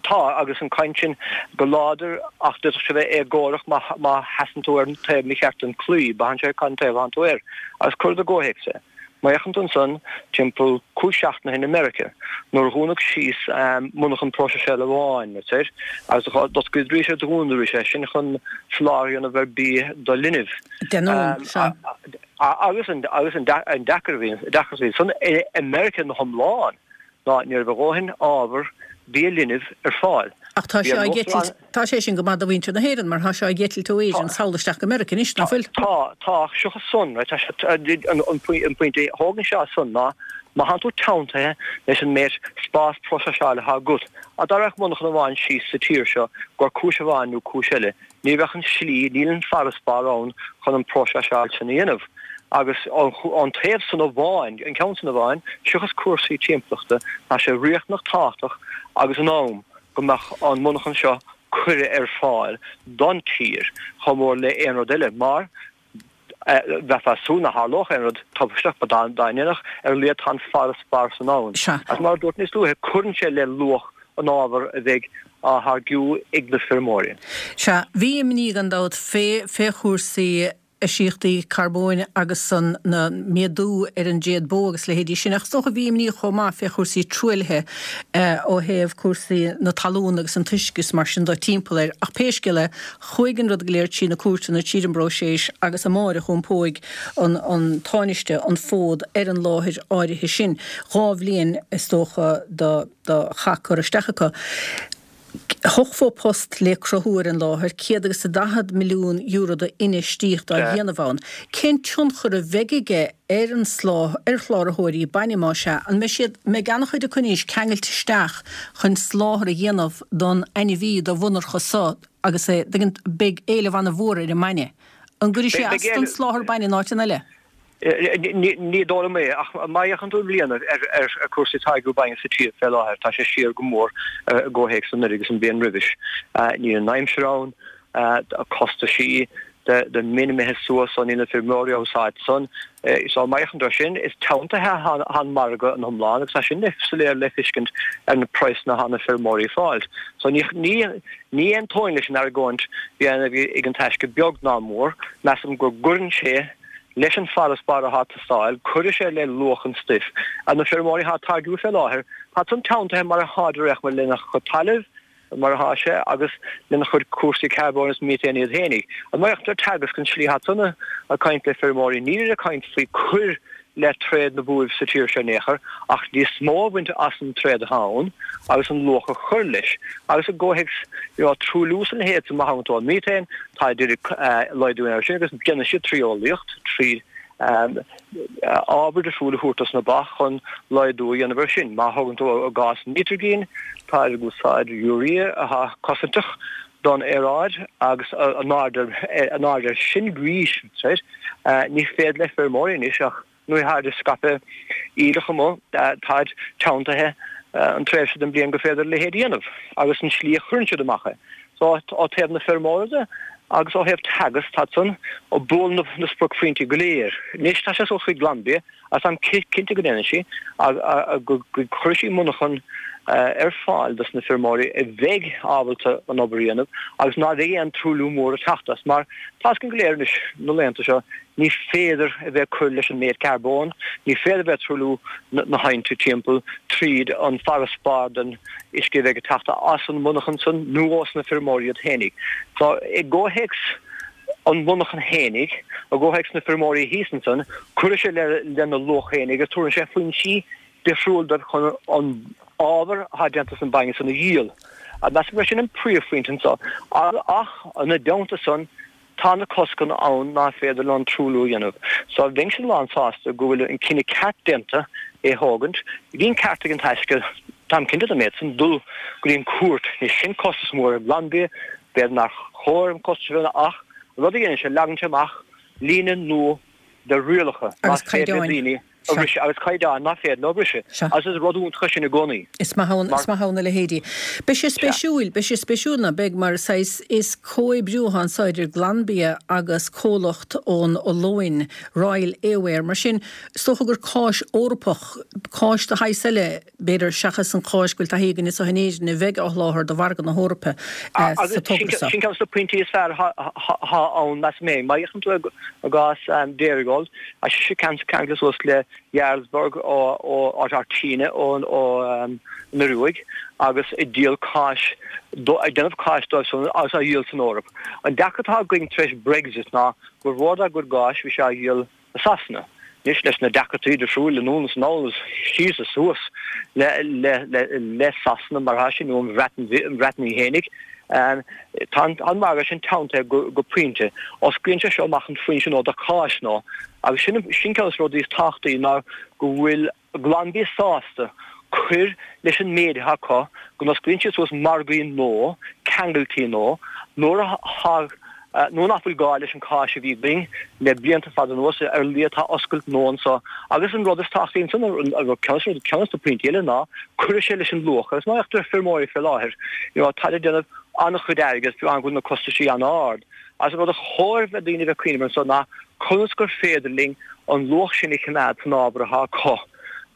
Tá, agus an chaint sin go láidir ach d'fhéadfadh sé bheith éagórach má sheasann tú ar an taobh mícheart den chlaí, braitheann sé cén taobh atánn tú air. Agus cuir i gcomhthéacs é. Má fhéachann tú ansan timpeall cúig seachtaine ó shin i Meiriceá, nuair a dhúnadh síos monarchan próiseála amháin, let's say, agus d'osclaíodar arís é, dhúnadar arís é, sin chun soláthar a dhéanamh ar bia do linbh. Danone, sea. Agus an deacair a bhí, deacracht a bhí ansan i Meiriceá ina hiomlán ná ní raibh a dhóthain ábhar bia linbh ar fáil. Ach tá sé á eitilt, tá sé sin go maith do mhuintir na hÉireann mar tá sé á eitilt ó Éirinn sall isteach go Meiriceá anois, ná fuil? Tá, tá, ach seachas san, right, tá sé, an pointe a thógann sé as san ná má thánn tú teanntaithe leis an méid spás próiseála atá agat, á dá rachadh monarchan amháin síos sa tír seo gur cúis amháin nó cúis eile, Ní bheadh an slí, níl an farasbarr ann chun an próiseáil sin a dhéanamh. Agus ón taobh san amháin, an ceann san amháin, seachas cúrsaí timpeallachta, tá sé riachtanach tábhachtach agus in am go mbeadh an monarchan seo curtha ar fáil don tír chomh mór le aon rud eile mar bheifeá ag súil nach tharlódh aon rud tubaisteach, but dá ndéanfadh, ar a laghad tá an farasbarr san ann. Agus mar a dúirt níos luaithe, cuireann sé le luach an ábhair a bheidh á tháirgiú ag na feirmeoirí. Sea, bhí imní gan dabht fé fé chúrsaí eisíochtaí carbóin agus an na méadú ar an dtéad bó agus leithéidí sin, ach is dócha bhí imní chomh maith fé chúrsaí truaillithe ó thaobh cúrsaí na talún agus an t-uisce is mar sin de timpeall air. Ach pé scéal é, chuaigh an rud go léir trí na cúirteanna, tríd an bpróiseas agus amáireach iompóidh an an Tánaiste an fód ar an láthair áirithe sin. Dhá bhliain is dócha do. do chac curtha isteach acu. Ochtó post le cruthú ar an láthair, céad agus a daichead milliún euro d'infheistíocht á dhéanamh ann. Cén tionchar a bheidh aige ar an ar shlabhraitheoirí bainne más ea? An mbeidh siad, mbeidh an-chuid acu anois ceangailte isteach chun soláthar a dhéanamh don ainmhí, do mhonarcha so agus é, beidh éileamh an-mhór ar an mbainne. An gcuirfidh sé as don soláthar bainne in áiteanna eile? Ní dóigh liom é, ach má fhéachann tú i mbliana ar chúrsaí táirgeadh bainne sa tír fé láthair, tá sé siar go mór i gcomhthéacs anuraidh agus an bhliain roimhis. Níl an aimsir ann, tá costaisí den mhin imithe suas, so níl na feirmeoirí á úsáid san. So má fhéachann tú air sin, is teanntaithe atá an margadh ina hiomlán agus tá sin soiléir le feiscint ar na praghsanna atá na feirmeoirí ag fáilt. So ní aontóinn leis an argóint a bhí ag an Taisce beag ná mór. Measaim go gcuireann sé leis an farasbarr atá ag teastáil, cuirfidh sé le luach an stuif Na feirmeoirí atá ag táirgiú fé láthair, tá san teanntaithe mar atá de réir mar lena chuid talaimh, mar atá sé, agus lena chuid cúrsaí carbóin is miotáin iad fhéinig. An mbeadh ar Teagasc an slí atá san ag caint le feirmeoirí? Nílid ag caint faoi cur le tréad na buaibh sa tír seo in aon chor, ach níos mó a bhaint as an tréad atá ann agus an luach a chur leis. Agus i gcomhthéacs you know, truailliú is a leithéid san, má thagann tú an miotáin, tá idir laghdú air sin agus déanann siad trí eolaíocht, trí ábhar difriúil a thabhairt dos na ba chun laghdú a dhéanamh air sin. Má thugann tú i gcás nítrigine, tá ag úsáid urea atá cosantach don aeráid agus an aird air sin arís, ní féidir le feirmeoirí anois ach nuair atáid ag scaipeadh aoileach amuigh, táid teanntaithe an tréimhse den bhliain gur féidir a leithéid a dhéanamh agus an slí a chuireann siad amach é. So, ó thaobh na feirmeora de agus ó thaobh Teagasc, tá san ag bualadh na spriocphointí go léir. Anois tá sé suas faoi Glanbia agus táim cinnte go ndéanfaidh sí, go gcuirfidh sí monarchan ar fáil dos na feirmeoirí a bheidh ábalta an obair a dhéanamh agus ná bheidh aon truailliú mór ag teacht as mar tá 'fhios againn go léir anois na laethanta seo ní féidir a bheith ag cur leis an méid carbóin, ní féidir a bheith ag truailliú na haibhneacha timpeall tríd an farasbarr den uisce a bheidh ag teacht as an monarchan san nó ós na feirmeoirí iad fhéinig. So i gcomhthéacs an mhonarchan fhéinig, i gcomhthéacs na feirmeoirí thíos ansan, cuirfidh sé lena luach fhéinig agus tabharfaidh sé foinsí difriúil dóibh chun an ábhar atá déanta san bainne san a dhíol. Measaim gur sin an príomhphointe anseo. Ach ina dteannta san, tá na coscanna ann ná féidir leo an truailliú a dhéanamh. So bheinnse lán sásta go bhfuil an cinneadh ceart déanta é thógaint. Bhí an ceart ag an Taisce, táim cinnte den méid san, dul go dtí an cúirt. Anois sin costas mór ar Ghlanbia, b'fhéidir nár chóir an costas a bheith ann ach an rud a dhéanann sé, leagann sé amach líne nua de rialacha Agus nach féidir le caighdeáin. daoine a Sea. bhriseadh agus caighdeáin nach féidir leo a bhriseadh. Sea. Agus is rud iontach é sin i gcónaí. Is maith ann, Mar. is maith ann a leithéidí. Beidh sé Sea. spéisiúil, beidh sé spéisiúil ná beidh mar saghas, is comhoibriú atá anso idir Glanbia agus comhlacht ón Ollainn, Royal Ewaer. Mar sin, is dócha gur cáis Eorpach, cáis de shaghas eile, b'fhéidir, seachas an cháis go bhfuil taithí againn anso in Éirinn a bheidh á sholáthar do mhargadh na hEorpa Agus sa togra sin seo. ceann de na pointí is fearr atá ann, measaim féin. Má fhéachann tú i gcás Dairygold, tá sé ceangailte suas le Jarlsberg ó Artena ón Ioruaidh agus ag díol cáis, ag déanamh cáis dóibh san agus á dhíol san Eoraip. An deacracht atá againn tar éis Brexit ná gur mhór dár gcuid gáis bhí sé á dhíol i Sasana. Anois leis na deacrachtaí difriúil anonn is anall is síos is suas le le Sasana mar atá sé nó an Bhreatain Bhreatain í fhéinig, tá an margadh sin teanntaithe go pointe. Osclaíonn sé seo amach an foinse nua do cháis nua agus sin sin ceann de na rudaí is tábhachtaí ná go bhfuil Glanbia sásta cur leis an méid atá acu, go n-osclaíonn siad suas margaí nua, ceangailtí nua, nuair atá, nuair nach bhfuil gá leis an cáis a bhí againn le blianta fada anuas, ar a laghad tá oscailt nua anseo. Agus an rud is tábhachtaí ansan, ceann de na pointí eile ná, cuirfidh sé leis an luach. Agus má fhéachtar ar feirmeoirí fé láthair, you know, táid ag déanamh an-chuid airgid, fiú amháin go bhfuil na costaisí an-ard. Agus an rud a chóir bheith daoine a bheith ag cuimhneamh anseo ná conas gur féidir linn an luach sin a choimeád san ábhar atá acu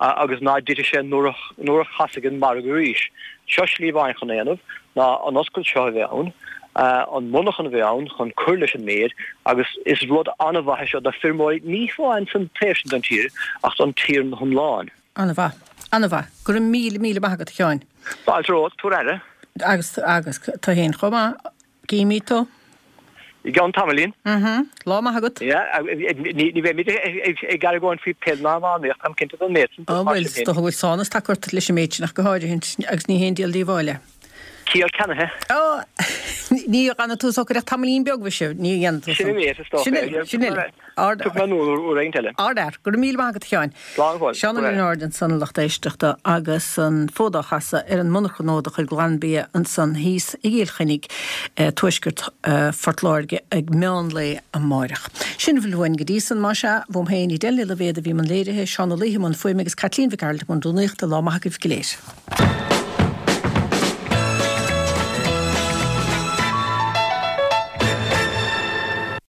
agus ná dtitfidh sé nuair a chasfaidh an margadh arís. Seo slí amháin chun é a dhéanamh ná an oscailt seo a bheith ann, an monarchan a bheith ann chun cur leis an méid agus is rud an-mhaith é seo do feirmeoirí ní hamháin san taobh sin den tír ach don tír ina hiomlán. An-mhaith. An-mhaith. Go raibh míle, míle maith agat, a Sheáin. Fáilte romhat, tabhair aire. Agus, agus tú fhéin chomh maith. Cífimid tú. I gceann tamaillín. Mhm. Lá maith agat. Yeah, ní bheimid ag argóint faoi peil ná iománaíocht, táim cinnte den méid sin. Ó bhuel, is dócha go bhfuil sánas tagtha ort leis an méid sin ach go háirithe, agus ní haon díol díobháil é. Ciall ceannaithe. Ó, ní dhéanfaidh tú socair ach tamaillín beag, mhuise, ní dhéanfaidh tú Sin san. é, is dócha. Sin uile, sin uile. Ard, Tiocfaidh mé anall uair éigin eile. Ard-fhear. Go raibh míle maith agat, a Sheáin. Slán go fóill. Seán Ó Lionáird ansan, a lucht éisteachta, agus an fód á chasadh ar an monarcha nua de chuid Glanbia ansan thíos i gCill Chainnigh, tuaisceart Phort Láirge, ag meán lae amáireach. Sin a bhfuil uainn go dtí san, más ea. Uaim féin, Edel Ní Loibhéad a bhí i mbun léirithe, Seán Ó Laoithe i mbun fuaime agus Caitlín Mhic Gearailt i mbun rúnaíochta. Lá maith agaibh go léir.